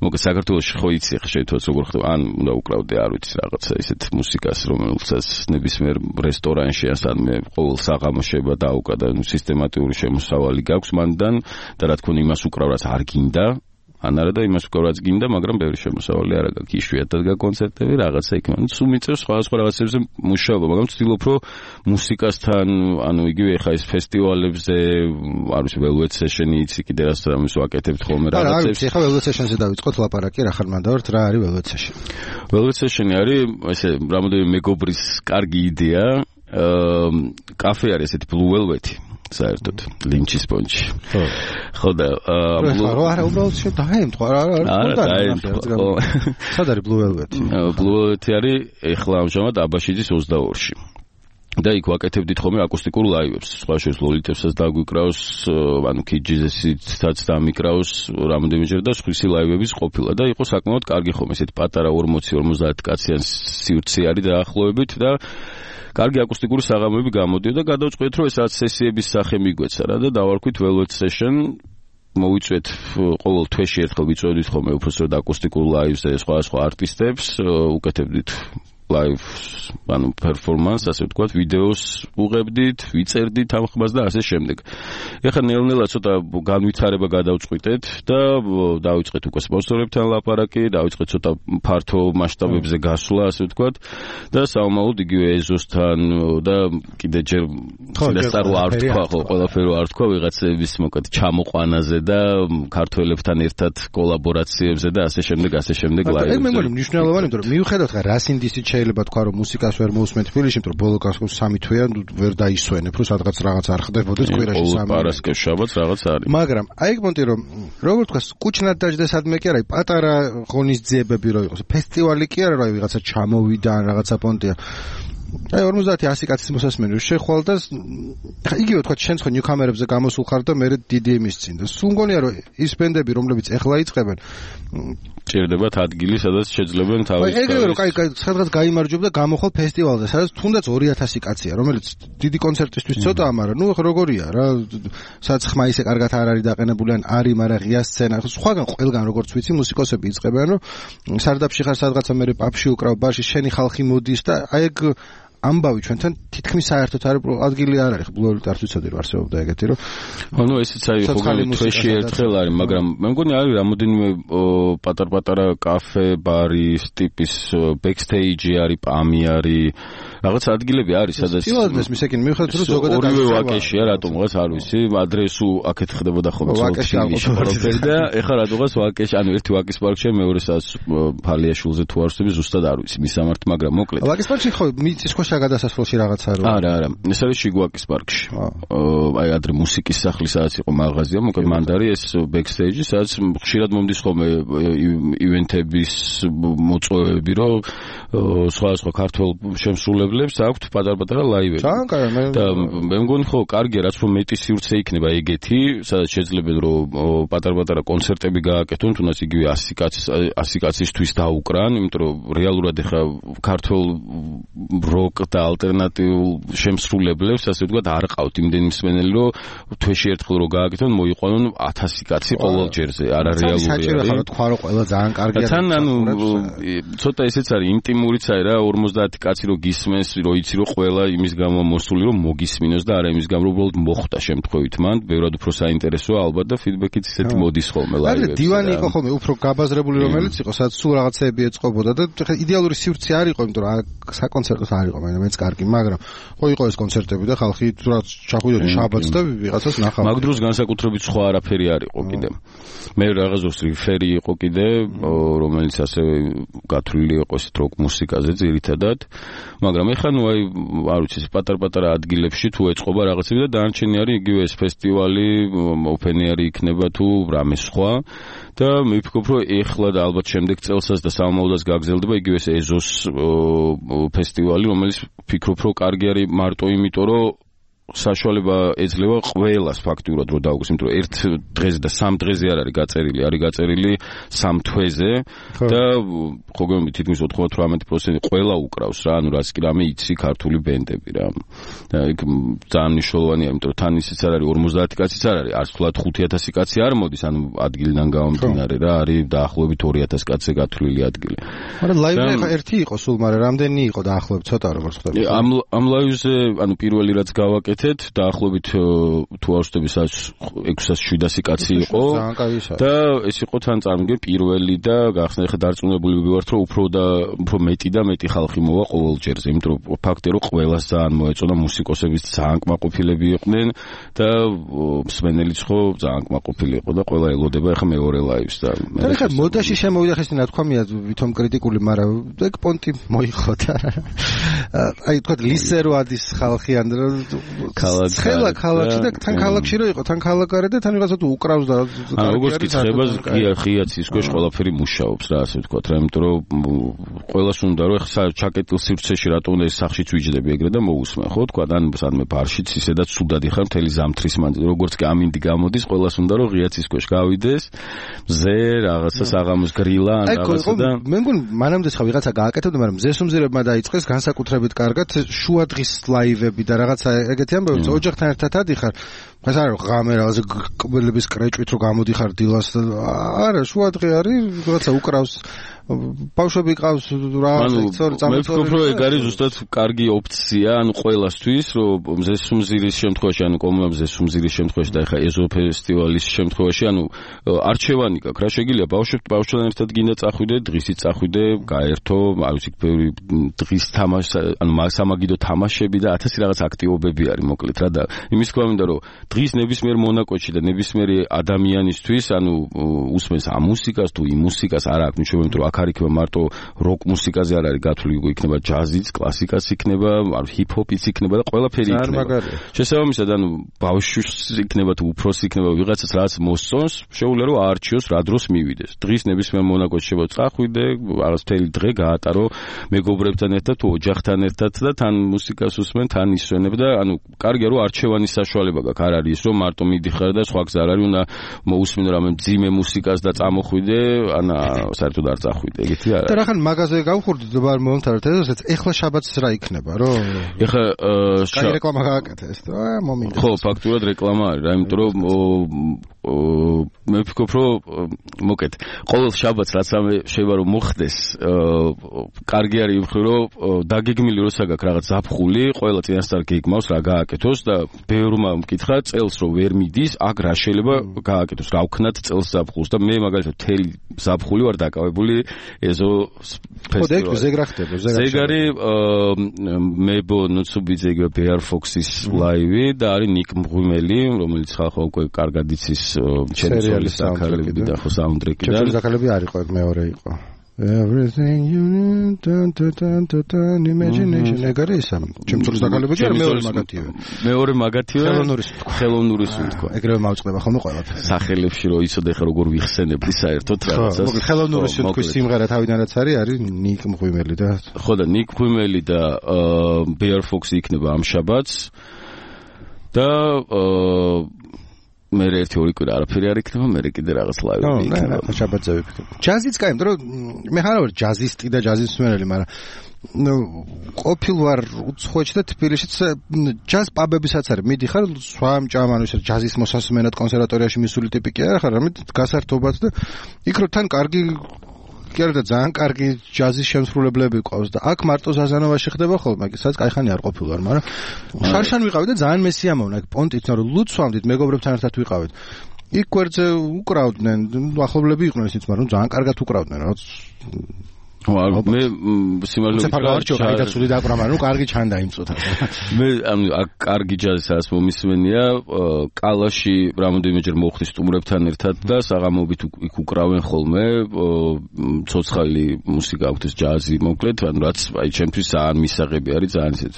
მოგე საქართველოში ხო იცი ხა შეიძლება როგორ ხდება, ან უნდა უკრავდე არ ვიცი რაღაცა ისეთ მუსიკას, რომელსაც ნებისმიერ რესტორანში ასანმე ყოველ საღამოს შეიძლება დაუკრა და სისტემატიური შემოსავალი გაქვს მანდან და რა თქმა უნდა იმას უკრავ რაც არ გინდა. ანარა და იმას ვკვრაც გინდა, მაგრამ ბევრი შემოსავალი არ აქვს. იშვიათად გაკონცერტები რაღაცა იქ, ანუ სულ მიწევს სხვადასხვა რაღაცებზე მუშაობა, მაგრამ ვცდილობ რომ მუსიკასთან, ანუ იგივე ხა ეს ფესტივალებზე, არ ვიცი, Velvet Session-ი იცი კიდე რას ამის ვაკეთებთ ხოლმე რაღაცებს. არა, ვიცი, ხა Velvet Session-ზე დავიწყოთ ლაპარაკი, რა ხარ მანდავართ, რა არის Velvet Session? Velvet Session-ი არის ესე რამოდენიმე მეგობრის კარგი იდეა, კაფე არის ესეთი Blue Velvet-ი. საერთოდ ლინჩის პონჩი. ხო. ხო და ბლუ არა უბრალოდ შედაემთხვა რა რა არა დაემთხვა. სად არის Blue Velvet-ი? Blue Velvet-ი არის ეხლა ამჟამად აბაშიძის ოცდაორში. და იქ ვაკეთებდით ხოლმე აკუსტიკურ ლაივებს. სხვა შორის ლოლიტებსაც დაგვიკრავს, ანუ ქიჯიზესაც დამიკრავს რამოდენიმეჯერ და სხვისი ლაივების ყოფილა და იყო საკმაოდ კარგი ხოლმე ესეთი პატარა ორმოცი ორმოცდაათი კაციან სივრცე არის დაახლოებით და კარგი აკუსტიკური საღამოები გამოდიოდა და გადავწყვეტ რომ ეს რაც სესიების სახე მიგვეცა რა და დავარქვით Velvet Session. მოვიწვეთ ყოველ თვეში ერთხელ ვიწვევდით ხოლმე უბრალოდ აკუსტიკურ ლაივს და სხვადასხვა არტისტებს, უკეთებდით live ანუ performance, ასე ვთქვათ, ვიდეოს უღებდით, ვიწერდით ამ ხმას და ასე შემდეგ. ეხლა ნელ-ნელა ცოტა განვითარება გადავწყვიტეთ და დავიწყეთ უკვე სპონსორებთან ლაპარაკი, დავიწყეთ ცოტა ფართო მასშტაბებზე გასვლა, ასე ვთქვათ და საომალოდ იგივე ეზოსთან და კიდე ჯერ შესაძლოა არ ვთქვა, ხო, ყველაფერი არ ვთქვა ვიღაცების მოკლედ ჩამოყვანაზე და ქართველებთან ერთად კოლაბორაციებზე და ასე შემდეგ, ასე შემდეგ ლაივებზე. ეგ მე მგონი მნიშვნელოვანი, იმიტომ რომ მიუხედავად ხა რას ინდისით შეიძლება თქვა რომ მუსიკას ვერ მოусმენთ თბილისში, იმიტომ რომ ბოლო გასულ სამი თვეა ვერ დაისვენებ, რომ სადღაც რაღაც არ ხდებოდეს კვირაში სამი. პარასკევს შაბათს რაღაც არის. მაგრამ აი ეგ მონტი რომ როგორ თქვა კუჩნად დაждდა სადმე კი არა, პატარა ღონისძიებები რო იყოს, ფესტივალი კი არა, რა ვიღაცა ჩამოვიდა ან რაღაცა პონტია. აი ორმოცდაათი ასი კაცის მოსასმენი შეხვალ და ხა იგივე თქვა შენ ხო ნიუკამერებზე გამოსულ ხარ და მე დიდი იმის წინ და სულ მგონია რომ ის ბენდები რომლებიც ეხლა იწყებენ ჭირდებათ ადგილი სადაც შეძლებენ თავის აი ეგრევე რომ კაი სადღაც გაიმარჯვებ და გამოხვალ ფესტივალზე სადაც თუნდაც ორი ათასი კაცია რომელიც დიდი კონცერტისთვის ცოტაა მაგრამ ნუ როგორია რა სადაც ხმა ისე კარგად არ არის დაყენებული ან არის მაგრამ ღია სცენა სხვაგან ყველგან როგორც ვიცი მუსიკოსები იწყებენ რომ სარდაფში ხარ სადღაცა მე პაპში უკრავ ბარში შენი ხალხი მოდის და აი ეგ ამბავი ჩვენთან თითქმის საერთოდ არ ადგილი არ არის ბლუელი არ ვიცოდი რომ არსებობდა ეგეთი რომ ანუ ესეც აი ხოლმე თვეში ერთხელ არის მაგრამ მე მგონი არის რამოდენიმე პატარ-პატარა კაფე ბარის ტიპის ბექსტეიჯი არის პამი არის რაღაც ადგილები არის სადაც ფილადელფიას მისაკენ მივხვდეთ რომ ზოგადად ორივე ვაკეშია რატომღაც არ ვიცი ადრესუ აქეთ ხდებოდა ხოლმე ვაკეში ყველაფერი და ეხლა რატომღაც ვაკეში ანუ ერთი ვაკის პარკში მეორე სადაც ფალიაშვილზე თუ არ ვსები ზუსტად არ ვიცი მისამართ მაგრამ მოკლედ ვაკის პარკში ხო მიწის ქვეშა გადასასვლელში რაღაცა რო არა არა ეს არის შიგვაკის პარკში აი ადრე მუსიკის სახლი სადაც იყო მაღაზია მოკლედ მანდარი ეს ბექსტეიჯი სადაც ხშირად მომდის ხოლმე ივენთების მოწვევები რომ სხვა სხვა ქართულ შემსრულებლებს აქვთ პატარ-პატარა ლაივები და მე მგონი ხო კარგია რაც რომ მეტი სივრცე იქნება ეგეთი სადაც შეიძლება რომ პატარ-პატარა კონცერტები გააკეთონ თუნდაც იგივე ასი კაცის ასი კაცისთვის დაუკრან იმიტომ რომ რეალურად ეხა ქართულ როკ და ალტერნატიულ შემსრულებლებს ასე ვთქვათ არ ყავთ იმდენი მსმენელი რომ თვეში ერთხელ რო გააკეთონ მოიყვანონ ათასი კაცი ყოველ ჯერზე არა რეალური არის საჭირო ხარ თქვა რომ ყველა ძალიან კარგია თან ანუ ცოტა ესეც არის ინტიმურიც არის რა ორმოცდაათი კაცი რო გისმენს რო იცი რომ ყველა იმის გამო მოსული რომ მოგისმინოს და არა იმის გამო რომ უბრალოდ მოხვდა შემთხვევით მან ბევრად უფრო საინტერესოა ალბათ და ფიდბექიც ისეთი მოდის ხოლმე ლაივებში არა დივანი იყო ხოლმე უფრო გაბაზრებული რომელიც იყო სადაც სულ რაღაცეები ეწყობოდა და იდეალური სივრცე არ იყო იმიტომ რომ საკონცერტო არ იყო მე მეც კარგი მაგრამ ხო იყო ეს კონცერტები და ხალხი თუნდაც ჩახვიდოდა შაბათს და ვიღაცას ნახავდა მაგ დროს განსაკუთრებით სხვა არაფერი არ იყო კიდე მე რაღაც ოს რიფერი იყო კიდე რომელიც ასე გათვლილი იყო ეს როკ მუსიკაზე ძირითადად მაგრამ ეხლა ნუ აი არ ვიცი ეს პატარ-პატარა ადგილებში თუ ეწყობა რაღაცები და დანარჩენი არის იგივე ეს ფესტივალი ოფენიარი იქნება თუ რამე სხვა და მე ვფიქრობ რომ ეხლა და ალბათ შემდეგ წელსაც და სამომავლოდაც გაგრძელდება იგივე ეს ეზოს ფესტივალი რომელიც ვფიქრობ რომ კარგი არის მარტო იმიტომ რომ საშუალება ეძლევა ყველას ფაქტიურად რომ დაუგოს იმიტომ რომ ერთ დღეზე და სამ დღეზე არ არის გაწერილი არის გაწერილი სამ თვეზე და ხო გემი თითქმის ოთხმოცდაოთხ პროცენტი ყველა უკრავს რა ანუ რაც კი რამე იცი ქართული ბენდები რა და იქ ძალიან მნიშვნელოვანია იმიტომ რომ თან ისიც არ არის ორმოცდაათი კაციც არ არის არც თულად ხუთი ათასი კაცი არ მოდის ანუ ადგილიდან გამომდინარე რა არის დაახლოებით ორი ათასი კაცზე გათვლილი ადგილი მაგრამ ლაივზე ხა ერთი იყო სულ მაგრამ რამდენი იყო დაახლოებით ცოტა როგორც ხდება ამ ამ ლაივზე ანუ პირველი რაც გავაკეთე დაახლოებით თუ არ ვშტები ექვსას შვიდასი კაცი იყო და ეს იყო თან წარმოგე პირველი და გახსნა ხა დარწმუნებული ვიყავართ რომ უფრო და უფრო მეტი და მეტი ხალხი მოვა ყოველ ჯერზე იმიტომ რომ ფაქტია რომ ყველას ძალიან მოეწონა მუსიკოსების ძალიან კმაყოფილები იყვნენ და მსმენელიც ხო ძალიან კმაყოფილი იყო და ყველა ელოდება ხა მეორე ლაივს და და ხა მოდაში შემოვიდა ხეს ნათქვამია ვითომ კრიტიკული მაგრამ ეგ პონტი მოიხო და აი თქვა ლისერო ადის ხალხი ან ქალაქ ხელა ქალაქში და თან ქალაქში რო იყო თან ქალაქარე და თან ვიღაცა თუ უკრავს და აა როგორც კი ხებას ღია ღიაც ის ქვეშ ყველაფერი მუშაობს რა ასე ვთქვა რა იმიტომ რომ ყველას უნდა რომ ხა ჩაკეტილ სივრცეში რატომ უნდა ეს სახშიც ვიჯდები ეგრე და მოусმენ ხო თქვა ან სადმე ბარშიც ისედაც სუდად იხარ მთელი ზამთრის მანძილზე როგორც კი ამინდი გამოდის ყველას უნდა რომ ღიაც ის ქვეშ გავიდეს მზე რაღაცა საღამოს გრილა ან რაღაცა და მე მგონი მანამდე ხა ვიღაცა გააკეთებდა მაგრამ მზეს უმზირებმა დაიწყეს განსაკუთრებით კარგად შუადღის ლაივები და რაღაცა ეგეთი ამბობთ ოჯახთან ერთად ადიხარ ეს არა ღამე რაღაც კბილების კრეჭვით რო გამოდიხარ დილას არა შუადღე არის რაღაცა უკრავს ბავშვები ყავს რა წორი წამოწორი მე ვფიქრობ რომ ეგ არის ზუსტად კარგი ოფცია ანუ ყველასთვის რომ მზესუმზირის შემთხვევაში ანუ კომუნა მზესუმზირის შემთხვევაში და ეხა ეზო ფესტივალის შემთხვევაში ანუ არჩევანი გაქვს რა შეგიძლია ბავშვებთან ბავშვთან ერთად გინდა წახვიდე დღისით წახვიდე გაერთო არ ვიცი ბევრი დღის თამაში ანუ სამაგიდო თამაშები და ათასი რაღაც აქტივობები არის მოკლედ რა და იმის თქვა მინდა რომ დღის ნებისმიერ მონაკოჩი და ნებისმიერი ადამიანისთვის ანუ უსმენს ამ მუსიკას თუ იმ მუსიკას არ აქვს ნიშნობა იმიტომ რომ აქ არ იქნება მარტო როკ მუსიკაზე არ არის გათვლილი იქნება ჯაზიც კლასიკაც იქნება არ ჰიპ-ჰოპიც იქნება და ყველაფერი იქნება შესაბამისად ანუ ბავშვს იქნება თუ უფროსი იქნება ვიღაცას რაც მოსწონს შეუძლია რომ აარჩიოს რა დროს მივიდეს დღის ნებისმიერ მონაკოჩი შეიძლება წახვიდე რაღაც მთელი დღე გაატარო მეგობრებთან ერთად თუ ოჯახთან ერთად და თან მუსიკას უსმენ თან ისვენებ და ანუ კარგია რომ არჩევანის საშუალება გაქვს არ არის რომ მარტო მიდიხარ და სხვა გზა არ არის უნდა მოусმინო რამე ძიმე მუსიკას და წამოხვიდე ანა საერთოდ არ წახვიდე ეგეთი არა და რახან მაღაზიაზე გავხურდით და ბარ მომთარეთ ესეც ეხლა შაბათს რა იქნება რომ ეხლა კაი რეკლამა გააკეთე ეს და მომინდა ხო ფაქტურად რეკლამა არის რა იმიტომ რომ მე ვფიქრობ, რომ მოკეთ, ყოველ შაბათს რაც ამე შეიძლება რომ მოხდეს, კარგი არის იმ ხრო, რომ დაგეგმილი როცა გაქვს რაღაც ზაფხული, ყველა წინასწარ გეგმავს რა გააკეთოს და ბევრმა მკითხა წელს რომ ვერ მიდის, აქ რა შეიძლება გააკეთოს, რა ვქნათ წელს ზაფხულს და მე მაგალითად თელი ზაფხული ვარ დაკავებული ეზო ფესტივალზე. ხო, ზეგ რა ხდება, ზეგ არის მებო ნუცუბიძე იგივე Bear Fox-ის ლაივი და არის ნიკ მღვიმელი, რომელიც ხალხო უკვე კარგად იცის ჩემსოლის ზაქარები და ხო საუნდტრეკი და ჩემსოლის ზაქარები არ იყო, მეორე იყო. Everything you need, dun dun dun dun imagination. ეგარი ისა. ჩემსოლის ზაქარები კი არა, მეორე მაგათია. მეორე მაგათია. ხელოვნურის ხელოვნურის უთქვა. ეგრევე მავწყდება ხოლმე ყველაფერს. სახელებში რომ იცოდე ხა როგორ ვიხსენებდი საერთოდ რაღაცას. ხო, ხელოვნურის უთქვის სიმღერა თავიდანაც არის, არის ნიკ მღვიმელი და ხო და ნიკ მღვიმელი და Bear Fox იქნება ამ შაბათს. და მე ერთი ორი კვირა არაფერი არ იქნება, მე კიდე რაღაც ლაივები იქნება. ხო, შაბათზე ვიფიქრე. ჯაზიც კაი, იმიტომ რომ მე ხარ ვარ ჯაზისტი და ჯაზის მსმენელი, მაგრამ ნუ ყოფილ ვარ უცხოეთში და თბილისშიც ჯაზ პაბებისაც არის. მიდიხარ სვამ ჭამან ისე ჯაზის მოსასმენად კონსერვატორიაში მისული ტიპი კი არ ხარ, რამე გასართობად და იქ რო თან კარგი კი არა და ძალიან კარგი ჯაზის შემსრულებლები ყავს და აქ მარტო ზაზანოვაში ხდება ხოლმე, სადაც კაი ხანი არ ყოფილვარ, მაგრამ შარშან ვიყავით და ძალიან მესიამოვნა აქ პონტით, რომ ლუცვამდით მეგობრებთან ერთად ვიყავით. იქ გვერდზე უკრავდნენ, ახლობლები იყვნენ ისიც, მაგრამ ძალიან კარგად უკრავდნენ, რა. ხო, მე სიმართლე ვთქვა, კაი დაცული დააკვრა, მაგრამ ნუ კარგი ჩანდა იმ წუთას. მე ანუ აქ კარგი ჯაზი სადაც მომისმენია, კალაში რამოდენიმეჯერ მოხდი სტუმრებთან ერთად და საღამოობით იქ უკრავენ ხოლმე, ცოცხალი მუსიკა აქვს ჯაზი, მოკლედ, ანუ რაც აი ჩემთვის ძალიან მისაღები არის, ძალიან ისეთ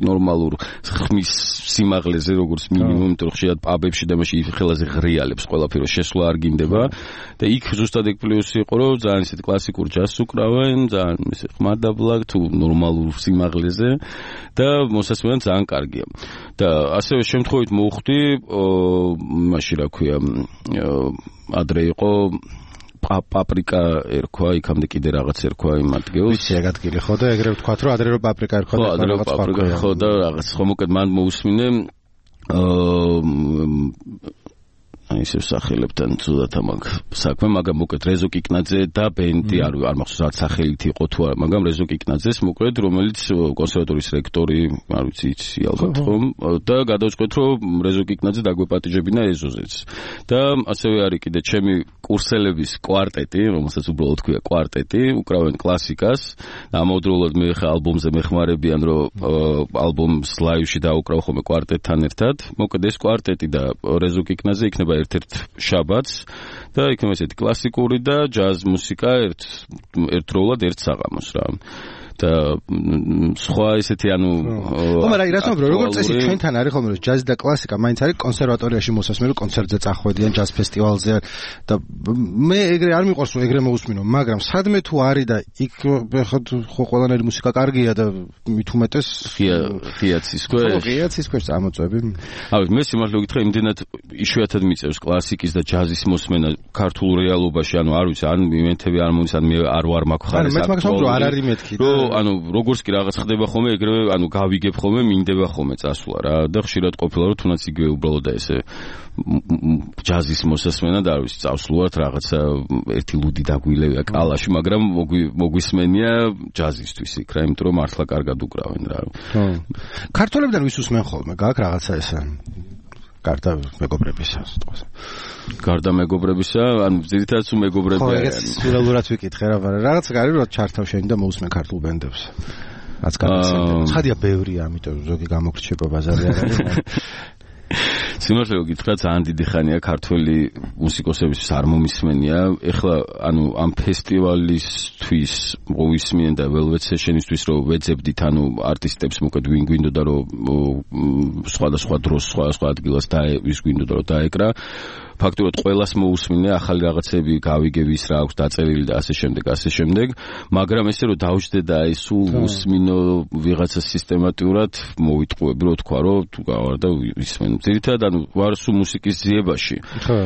ნორმალურ ხმის სიმაღლეზე როგორც მინიმუმ, იმიტომ რომ ხშირად პაბებში და მაშინ ხელაზე ღრიალებს ყველაფერი შესვლა არ გინდება და იქ ზუსტად ეგ პლუსი იყო, რომ ძალიან ისეთ კლასიკურ ჯაზს უკრავენ ძალიან ისე ხმადაბლა თუ ნორმალურ სიმაღლეზე და მოსასმენად ძალიან კარგია. და ასევე შემთხვევით მოვხვდი, მაშინ რა ქვია, ადრე იყო პაპრიკა ერქვა, იქამდე კიდე რაღაც ერქვა იმ ადგილს. ვიცი ეგ ადგილი ხო და ეგრე ვთქვათ, რომ ადრე რომ პაპრიკა ერქვა და რაღაც პაპრიკა ხო და რაღაც ხო მოკეთ მან მოусმინე აი ისე სახელებთან ცუდად ამაგ საქმე, მაგრამ მოკეთ რეზო კიკნაძე და ბენდი არ არ მახსოვს რა სახელით იყო თუ არა, მაგრამ რეზო კიკნაძეს მოკეთ, რომელიც კონსერვატორიის რექტორი, არ ვიცი იცი ალბათ ხომ და გადავწყვეტ რომ რეზო კიკნაძე დაგვეპატიჟებინა ეზოზეც. და ასევე არის კიდე ჩემი კურსელების კვარტეტი, რომელსაც უბრალოდ ქვია კვარტეტი, უკრავენ კლასიკას. ამავდროულად მე ხა ალბომზე მეხმარებიან, რომ ალბომს ლაივში დაუკრავ ხოლმე კვარტეტთან ერთად. მოკეთ ეს კვარტეტი და რეზო კიკნაძე იქნება ერთ-ერთ შაბათს და იქნება ესეთი კლასიკური და ჯაზ მუსიკა ერთ ერთდროულად ერთ საღამოს რა. და სხვა ესეთი ანუ ხო, მაგრამ რა თქმა უნდა, როგორც წესი ჩვენთან არის ხოლმე ჯაზი და კლასიკა, მაინც არის კონსერვატორიაში მოსასმენელი კონცერტზე წახვედიან ჯაზ ფესტივალზე და მე ეგრე არ მიყვარს რომ ეგრე მოусმინო, მაგრამ სადმე თუ არის და იქ ხო ყველანაირი მუსიკა კარგია და მით უმეტეს ღია ღიაცის ქვეშ. ხო, ღიაცის ქვეშ წამოწვევი. ავი მე სიმართლე გითხრა, იმდენად იშვიათად მიწევს კლასიკის და ჯაზის მოსმენა ქართულ რეალობაში, ანუ არ ვიცი, ან იმენთები არ მომის, ან მე არ ვარ მაგ ხარეს. მე მაგას ვამბობ, არ არის მეთქი. ანუ როგორც კი რაღაც ხდება ხოლმე, ეგრევე ანუ გავიგებ ხოლმე, მინდება ხოლმე წასვლა რა და ხშირად ყოფილა რომ თუნდაც იგივე უბრალოდ და ესე ჯაზის მოსასმენა და არ ვიცი, წავსვლათ რაღაცა ერთი ლუდი დაგვილევია კალაში, მაგრამ მოგვისმენია ჯაზისთვის იქ რა, იმიტომ რომ მართლა კარგად უკრავენ რა. ხო. ქართველებიდან ვის უსმენ ხოლმე, გაქვს რაღაცა ესა გარდა მეგობრებისა, სიტყვაზე. გარდა მეგობრებისა, ანუ ძირითადად სულ მეგობრები არიან. ხო, ეგ სულელურად ვიკითხე რა, მაგრამ რაღაც არის რომ ჩართავ შენ და მოусმენ ქართულ ბენდებს. რაც გამოსცემს. ცხადია ბევრია, ამიტომ ზოგი გამოგრჩება ბაზარი არ არის. სიმართლე გითხრა, ძალიან დიდი ხანია ქართველი მუსიკოსებისთვის არ მომისმენია. ეხლა ანუ ამ ფესტივალისთვის მოვისმენ და Velvet Session-ისთვის რომ ვეძებდით, ანუ არტისტებს მოკეთ ვინ გვინდოდა რომ სხვადასხვა დროს, სხვადასხვა ადგილას და ვის გვინდოდა რომ დაეკრა. ფაქტობრივად ყველას მოусმინე, ახალი რაღაცები გავიგე, ვის რა აქვს დაწერილი და ასე შემდეგ, ასე შემდეგ, მაგრამ ესე რომ დავждდე და აი სულ უსმინო ვიღაცა სისტემატურად მოვიტყუები, რო თქვა, რომ თუ გავარ და ვისმენ. ძირითადად ანუ ვარ სულ მუსიკის ძიებაში. ხო.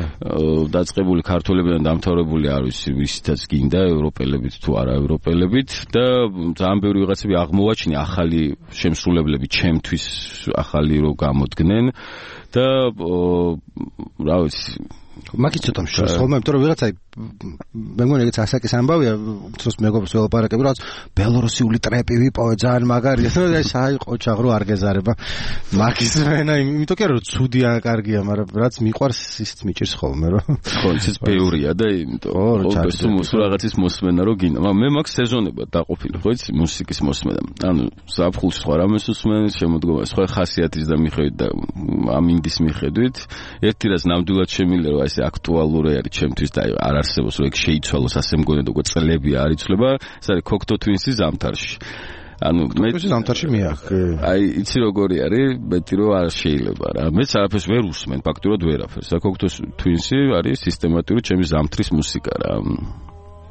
დაწყებული ქართველებიდან დამთავრებული არ ვიცი, ვისითაც გინდა, ევროპელებით თუ არა ევროპელებით და ძალიან ბევრი ვიღაცები აღმოვაჩინე ახალი შემსრულებლები ჩემთვის ახალი რო გამოდგნენ. და რა ვიცი მაგით ცოტა მშვენიერ ხოლმე, იმიტომ რომ ვიღაცა მე მგონი ეგეც ასაკის ამბავია, თორს მეგობრს ველაპარაკები, რაღაც ბელორუსიული ტრეპი ვიპოვე ძალიან მაგარია, აი საი ყოჩაღ რო არ გეზარება. მაგის მენა, იმიტომ კი არა რომ ცუდია, კარგია, მაგრამ რაც მიყვარს ისიც მიჭირს ხოლმე, რომ ხო, ისიც ბევრია და იმიტომ რომ რაღაცის მოსმენა რო გინდა. მაგრამ მე მაგ სეზონებად დაყოფილი, ხო იცი, მუსიკის მოსმენა. ანუ ზაფხულს სხვა რამეს უსმენ, შემოდგომა სხვა ხასიათის და მიხედვით და ამინდის მიხედვით. ერთი რაც ნამდვილად შემიძლია რომ ესე აქტუალური არის ჩემთვის და არ არსებობს რომ ეგ შეიცვალოს ასე მგონია და უკვე წლები არ იცვლება, ეს არის Cocteau Twins-ი ზამთარში. ანუ მე ზამთარში მეახ. აი იცი როგორი არის, მეტი რომ არ შეიძლება რა. მეც არაფერს ვერ უსმენ, ფაქტურად ვერაფერს. Cocteau Twins-ი არის სისტემატიური ჩემი ზამთრის მუსიკა რა.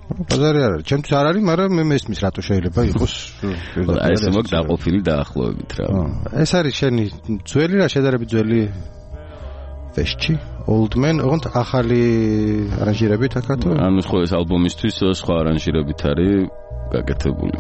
ბაზარი არ არის. ჩემთვის არ არის, მაგრამ მე მესმის რატო შეიძლება იყოს. აი ეს მაგ დაყოფილი დაახლოებით რა. ეს არის შენი ძველი რა შედარებით ძველი ვეშჩი Old Man, ოღონდ ახალი არანჟირებით აქათო? ანუ ხო ეს ალბომისთვის სხვა არანჟირებით არის გაკეთებული.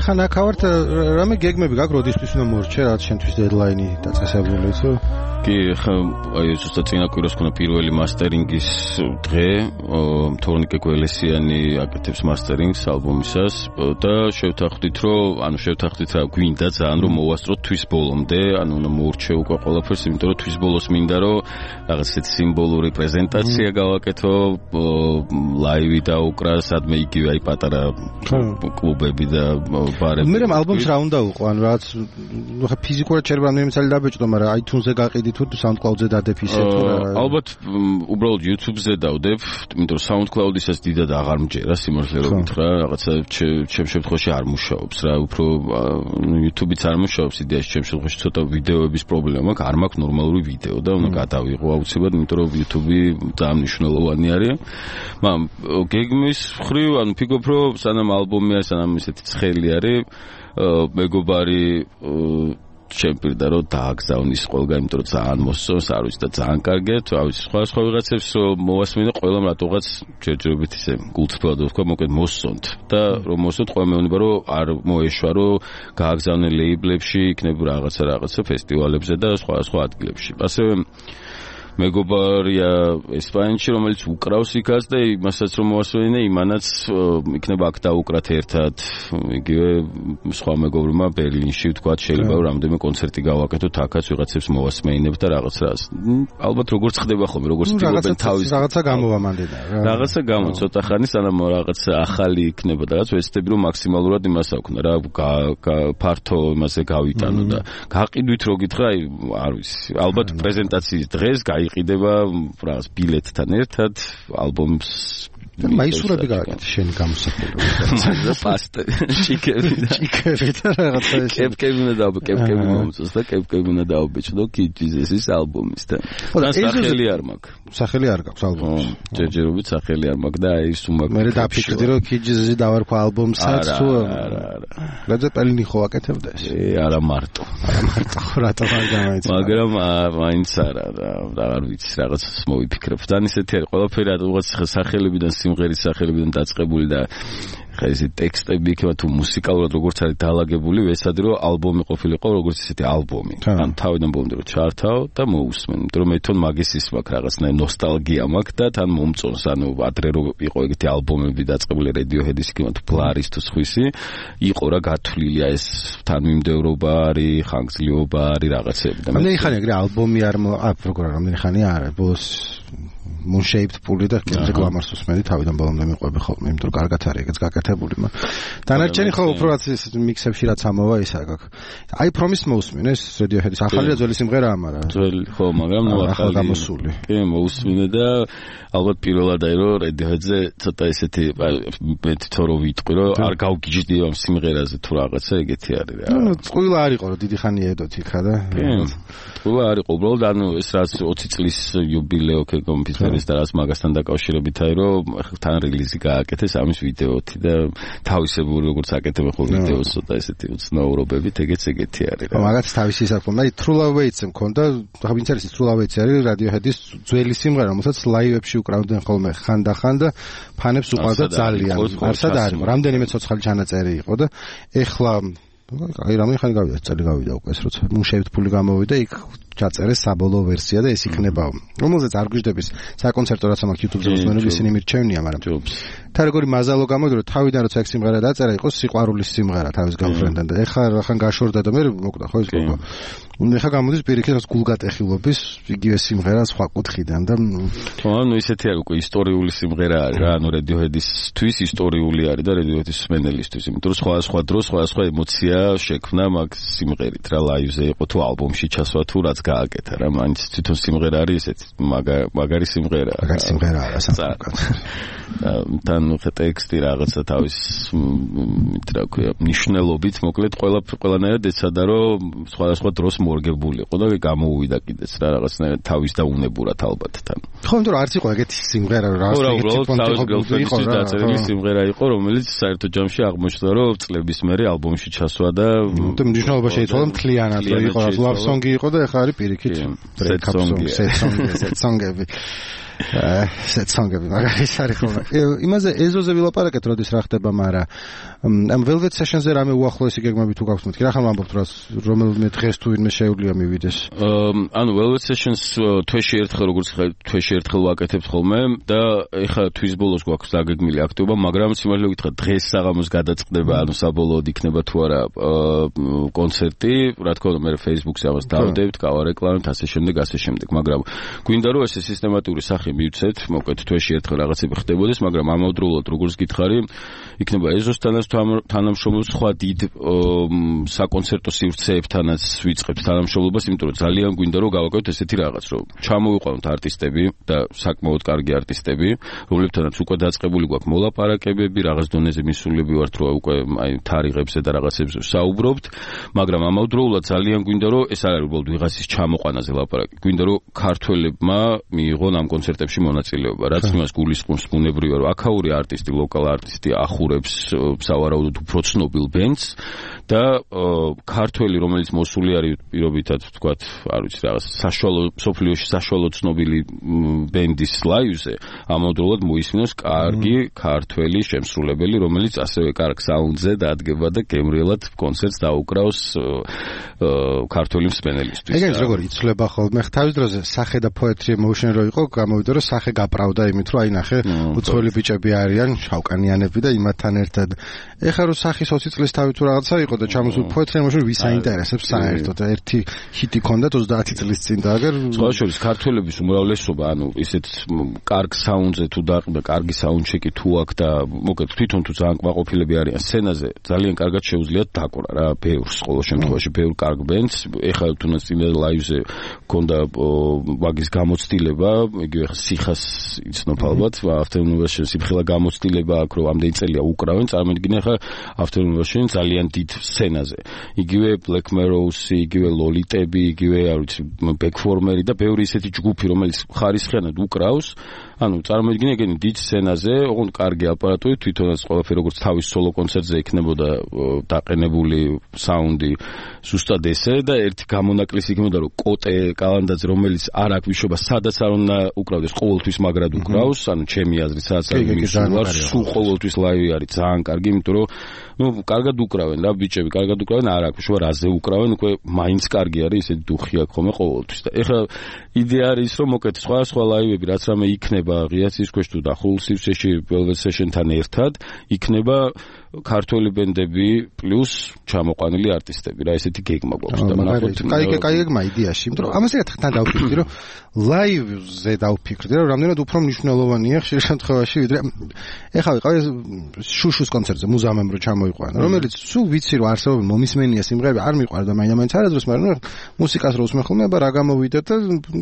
ხან აქავართ რამე გეგმები გაქვს როდისთვის უნდა მორჩე რაც შენთვის დედლაინი დაწესებული იცო კი ხა აი ზუსტად წინა კვირას ქონა პირველი მასტერინგის დღე თორნიკე გველესიანი აკეთებს მასტერინგს ალბომისას და შევთანხმდით რომ ანუ შევთანხმდით რა გვინდა ძალიან რომ მოვასწროთ თვის ბოლომდე ანუ უნდა მორჩე უკვე ყველაფერს იმიტომ რომ თვის ბოლოს მინდა რომ რაღაც ისეთი სიმბოლური პრეზენტაცია გავაკეთო ლაივი დაუკრა სადმე იგივე აი პატარა კლუბები და ბარები მე ალბომს რა უნდა უყო ანუ რაღაც ხა ფიზიკურად შეიძლება რამდენიმე წელი დაბეჭდო მაგრამ iTunes-ზე გაყიდი თუ SoundCloud-ზე დადებ ისე თუ რა ალბათ უბრალოდ YouTube-ზე დავდებ იმიტომ რომ SoundCloud-ისაც დიდად აღარ მჯერა სიმართლე რომ გითხრა რაღაცა ჩემ შემთხვევაში არ მუშაობს რა უფრო YouTube-იც არ მუშაობს იდეაში ჩემ შემთხვევაში ცოტა ვიდეოების პრობლემა მაქვს არ მაქვს ნორმალური ვიდეო და უნდა გადავიღო აუცილებლად იმიტომ რომ YouTube-ი ძალიან მნიშვნელოვანი არის მაგრამ გეგმის ხრივ ანუ ფიქრობ რომ სანამ ალბომია სანამ ისეთი ცხელი არის მეგობარი ჩემპირდა რომ დააგზავნის ყველგან იმიტომ რომ ძალიან მოსწონს არ ვიცი და ძალიან კარგია თუ ავიცი სხვა სხვა ვიღაცებს მოვასმინე ყველამ რატოღაც ჯერჯერობით ისე გულწრფელად ვთქვა მოკლედ მოსწონთ და რომ მოსწონთ ყველა მეუბნება რომ არ მოეშვა რომ გააგზავნე ლეიბლებში იქნება რაღაცა რაღაცა ფესტივალებზე და სხვა სხვა ადგილებში ასევე მეგობარია ესპანეთში რომელიც უკრავს იქაც და იმასაც რომ მოასწრინე იმანაც იქნება აქ დაუკრათ ერთად იგივე სხვა მეგობრებმა ბერლინში ვთქვა შეიძლება რომ რამდენიმე კონცერტი გავაკეთოთ აქაც ვიღაცებს მოვასმეინებ და რაღაც რას ალბათ როგორც ხდება ხოლმე როგორც ტიპობენ თავის რაღაცა გამოვამანდედა რა რაღაცა გამო ცოტა ხანი სანამ რაღაც ახალი იქნება და რაც ვეცდები რომ მაქსიმალურად იმას აქვნა რა ფართო იმაზე გავიტანო და გაყიდვით რო გითხრა აი არ ვიცი ალბათ პრეზენტაციის დღეს გაი იყიდება რაღაც ბილეთთან ერთად ალბომს და მაისურები გააკეთე შენი გამოსახულება და პასტა ჩიკები და ჩიკები და რაღაცა ეს კეპკები უნდა დაუბე კეპკები მომწოს და კეპკები უნდა დაუბეჭდო კიჯიზესის ალბომისთან და სახელი არ მაქვს სახელი არ გაქვს ალბომის ჯერჯერობით სახელი არ მაქვს და აი სუმაკ მე დაფიქრდი რომ კიჯიზესი დავარქვა ალბომსაც თუ არა არა ლეძეპელინი ხო აკეთებდა ეს არა მარტო არა მარტო რატო არ გამოიცა მაგრამ მაინც არა და არ ვიცი რაღაცას მოვიფიქრებ თან ისეთი არის ყველაფერი რაღაც სახელებიდან სიმღერის სახელებიდან დაწყებული და ხა ეს ტექსტები იქნება თუ მუსიკალურად როგორც არის დაალაგებული ვესადი რომ ალბომი ყოფილიყო როგორც ისეთი ალბომი ან თავიდან ბოლომდე რომ ჩართავ და მოусმენ იმიტომ რომ მე თვითონ მაგის ის მაქვს რაღაცნაირ ნოსტალგია მაქვს და თან მომწონს ანუ ადრე რო იყო ეგეთი ალბომები დაწყებული Radiohead-ის იქნება თუ Blur-ის თუ სხვისი იყო რა გათვლილია ეს თანმიმდევრობა არის ხანგრძლივობა არის რაღაცები და მე ხანი ეგრე ალბომი არ ა როგორ რამდენი ხანი არა ბოლოს moon shaped puli და კენზე გლამარს უსმენდი თავიდან ბოლომდე მიყვები ხოლმე იმიტომ რომ კარგად არის ეგეც გაკეთებული მაგრამ დანარჩენი ხო უფრო რაც ის მიქსებში რაც ამოვა ისა გაქვს აი promise მოусმინე ეს Radiohead-ის ახალი ძველი სიმღერაა მაგრამ ძველი ხო მაგრამ ნუ ახალი გამოსული კი მოусმინე და ალბათ პირველად აი რომ Radiohead-ზე ცოტა ესეთი მე თვითონ რო ვიტყვი რომ არ გავგიჯდი ამ სიმღერაზე თუ რაღაცა ეგეთი არის რა ნუ წყვილა არისო რომ დიდი ხანი ედოთ იქა და წყვილა არისო უბრალოდ ანუ ეს რაც ოცი წლის იუბილეო კომპიუტერის და რაც მაგასთან დაკავშირებით აი რომ თან რელიზი გააკეთეს ამის ვიდეოთი და თავისებური როგორც აკეთებენ ხოლმე ვიდეოს ცოტა ესეთი უცნაურობებით ეგეც ეგეთი არის რა მაგაც თავისი საკუთარი აი True Love Waits-ი მქონდა ხა ვინც არის True Love Waits-ი არის Radiohead-ის ძველი სიმღერა რომელსაც ლაივებში უკრავდნენ ხოლმე ხანდახან და ფანებს უყვარდა ძალიან არსად არის რამდენიმე ცოცხალი ჩანაწერი იყო და ეხლა აი რამდენი ხანი გავიდა წელი გავიდა უკვე ეს როცა მუშევით ფული გამოვიდა იქ ჩაწერეს საბოლოო ვერსია და ეს იქნება რომელზეც არ გვიждდების საკონცერტო რაც მაქვს YouTube-ზე მოსმენები ისინი მირჩევნია მაგრამ თა როგორი მაზალო გამოვიდა რომ თავიდან როცა ეს სიმღერა დაწერა იყო სიყვარულის სიმღერა თავის girlfriend-დან და ეხლა რახან გაშორდა და მე მოკდა ხო ის ყობა ნუ ეხლა გამოდის პირიქით რაც გულგატეხილობის იგივე სიმღერა სხვა კუთხიდან და ხო ანუ ისეთი არის უკვე ისტორიული სიმღერა არის რა ანუ Radiohead-ისთვის ისტორიული არის და Radiohead-ის მსმენელისთვის იმიტომ რომ სხვა სხვა დროს სხვა სხვა ემოცია შექმნა მაგ სიმღერით რა ლაივზე იყო თუ ალბომში ჩასვა თუ რაც გააკეთა რა მაინც თვითონ სიმღერა არის ესეც მაგარი სიმღერა მაგარი სიმღერაა რა საკუთარ თან ხე ტექსტი რაღაცა თავის რა ქვია ნიშნულობით მოკლედ ყველა ყველანაირად ეცადა რომ სხვადასხვა დროს მორგებული იყო და გამოუვიდა კიდეც რა რაღაცნაირად თავის და უნებურად ალბათ თან ხო იმიტომ რომ არც იყო ეგეთი სიმღერა რა რაღაცა დაწერილი სიმღერა იყო რომელიც საერთო ჯამში აღმოჩნდა რომ წლების მერე ალბომში ჩასვა და მნიშვნელობა შეიცვალა მთლიანად რომ იყო love song-ი იყო და ეხლა არის პირიქით break up song set song set song-ები set song-ები მაგარის არის ხოლმე იმაზე ეზოზე ვილაპარაკეთ როდის რა ხდება მაგრამ ამ Velvet Sessions-ზე რამე უახლოესი გეგმები თუ გაქვთ მეთქი რა ხომ ამბობთ რა რომელიმე დღეს თუ ვინმე შეუძლია მივიდეს ანუ Velvet Sessions თვეში ერთხელ როგორც თვეში ერთხელ ვაკეთებთ ხოლმე და ეხლა თვის ბოლოს გვაქვს დაგეგმილი აქტივობა მაგრამ სიმართლე ვიტყვი დღეს საღამოს გადაწყდება ანუ საბოლოოდ იქნება თუ არა კონცერტი რა თქმა უნდა მე Facebook-ზე ამას დავდებთ გავარეკლამებთ ასე შემდეგ ასე შემდეგ მაგრამ გვინდა რომ ესე სისტემატური სახე მივცეთ მოკლედ თვეში ერთხელ რაღაცები ხდებოდეს მაგრამ ამავდროულად როგორც გითხარი იქნება ეზოსთანაც თანამშრომლობს სხვა დიდ საკონცერტო სივრცეებთანაც ვიწყებთ თანამშრომლობას იმიტომ რომ ძალიან გვინდა რომ გავაკეთოთ ესეთი რაღაც რომ ჩამოვიყვანოთ არტისტები და საკმაოდ კარგი არტისტები რომლებთანაც უკვე დაწყებული გვაქვს მოლაპარაკებები რაღაც დონეზე მისულები ვართ რომ უკვე აი თარიღებზე და რაღაცებზე საუბრობთ მაგრამ ამავდროულად ძალიან გვინდა რომ ეს არ არის უბრალოდ ვიღაცის ჩამოყვანაზე ლაპარაკი გვინდა რომ ქართველებმა მიიღონ ამ კონცერტებში მონაწილეობა რაც იმას გულისხმობს ბუნებრივია რომ აქაური არტისტი ლოკალ არტისტი ახურებს სავარაუდოდ უფრო ცნობილ ბენდს და ქართველი რომელიც მოსული არის პირობითად ვთქვათ არ ვიცი რაღაც საშუალო სოფლიოში საშუალო ცნობილი ბენდის ლაივზე ამავდროულად მოისმინოს კარგი ქართველი შემსრულებელი რომელიც ასევე კარგ საუნდზე დადგება და გემრიელად კონცერტს დაუკრავს ქართველი მსმენელისთვის ეგეც როგორ იცვლება ხოლმე თავის დროზე სახე და poetry emotion რო იყო გამოვიდა რომ სახე გაправდა იმით რომ აი ნახე უცხოელი ბიჭები არიან შავკანიანები და იმათთან ერთად ეხლა რომ სახის ოცი წლის თავი თუ რაღაცა იყო და ჩამოსულ poetry emotion ვის აინტერესებს საერთოდ ერთი ჰიტი ქონდათ ოცდაათი წლის წინ და აგერ სხვა შორის ქართველების უმრავლესობა ანუ ისეთ კარგ საუნდზე თუ დაყდა კარგი საუნდჩეკი თუ აქვს და მოკლედ თვითონ თუ ძალიან კმაყოფილები არიან სცენაზე ძალიან კარგად შეუძლიათ დაკვრა რა ბევრს ყოველ შემთხვევაში ბევრ კარგ ბენდს ეხლა თუნდაც წინა ლაივზე ქონდა ვაგის გამოცდილება იგივე ხა სიხას იცნობ ალბათ ავტოუნივერსიტეტში სიფხილა გამოცდილება აქვს რომ ამდენი წელია უკრავენ წარმოიდგინე ხა ავტოუნივერსიტეტში ძალიან დიდ სცენაზე იგივე Black Mirror-ი იგივე ლოლიტები იგივე არ ვიცი ბექფორმერი და ბევრი ისეთი ჯგუფი რომელიც ხარისხიანად უკრავს ანუ წარმოიდგინე ეგენი დიდ სცენაზე ოღონდ კარგი აპარატური თვითონაც ყველაფერი როგორც თავის სოლო კონცერტზე იქნებოდა დაყენებული საუნდი ზუსტად ესე და ერთი გამონაკლისი იქნებოდა რომ კოტე კალანდაძე რომელიც არ აქვს ვიშობა სადაც არ უნდა უკრავდეს ყოველთვის მაგრად უკრავს ანუ ჩემი აზრით სადაც არ მისულარ სულ ყოველთვის ლაივი არის ძალიან კარგი იმიტომ რომ ну კარგად უკრავენ და ბიჭები კარგად უკრავენ არ აქვს ვიშობა რაზე უკრავენ უკვე მაინც კარგი არის ისეთი დუხი აქვს ხოლმე ყოველთვის და ეხლა იდეა არის რომ მოკეთ სხვა სხვა ლაივები რაც რამე იქნება ღიაცის ქვეშ თუ დახულ სივრცეში Velvet Session-თან ერთად იქნება ქართველი ბენდები პლუს ჩამოყვანილი არტისტები რა ესეთი გეგმა გვაქვს და ნახოთ კაი კაი გეგმა იდეაში იმიტომ რომ ამას ერთად დავფიქრდი რომ ლაივზე დავფიქრდი რომ რამდენად უფრო მნიშვნელოვანია ხშირ შემთხვევაში ვიდრე ეხლა ვიყავი შუშუს კონცერტზე მუზამემ რო ჩამოიყვანა რომელიც სულ ვიცი რომ არსებობენ მომისმენია სიმღერები არ მიყვარდა მაინც არადროს მაგრამ მუსიკას რო უსმენ ხოლმე და რა გამოვიდა და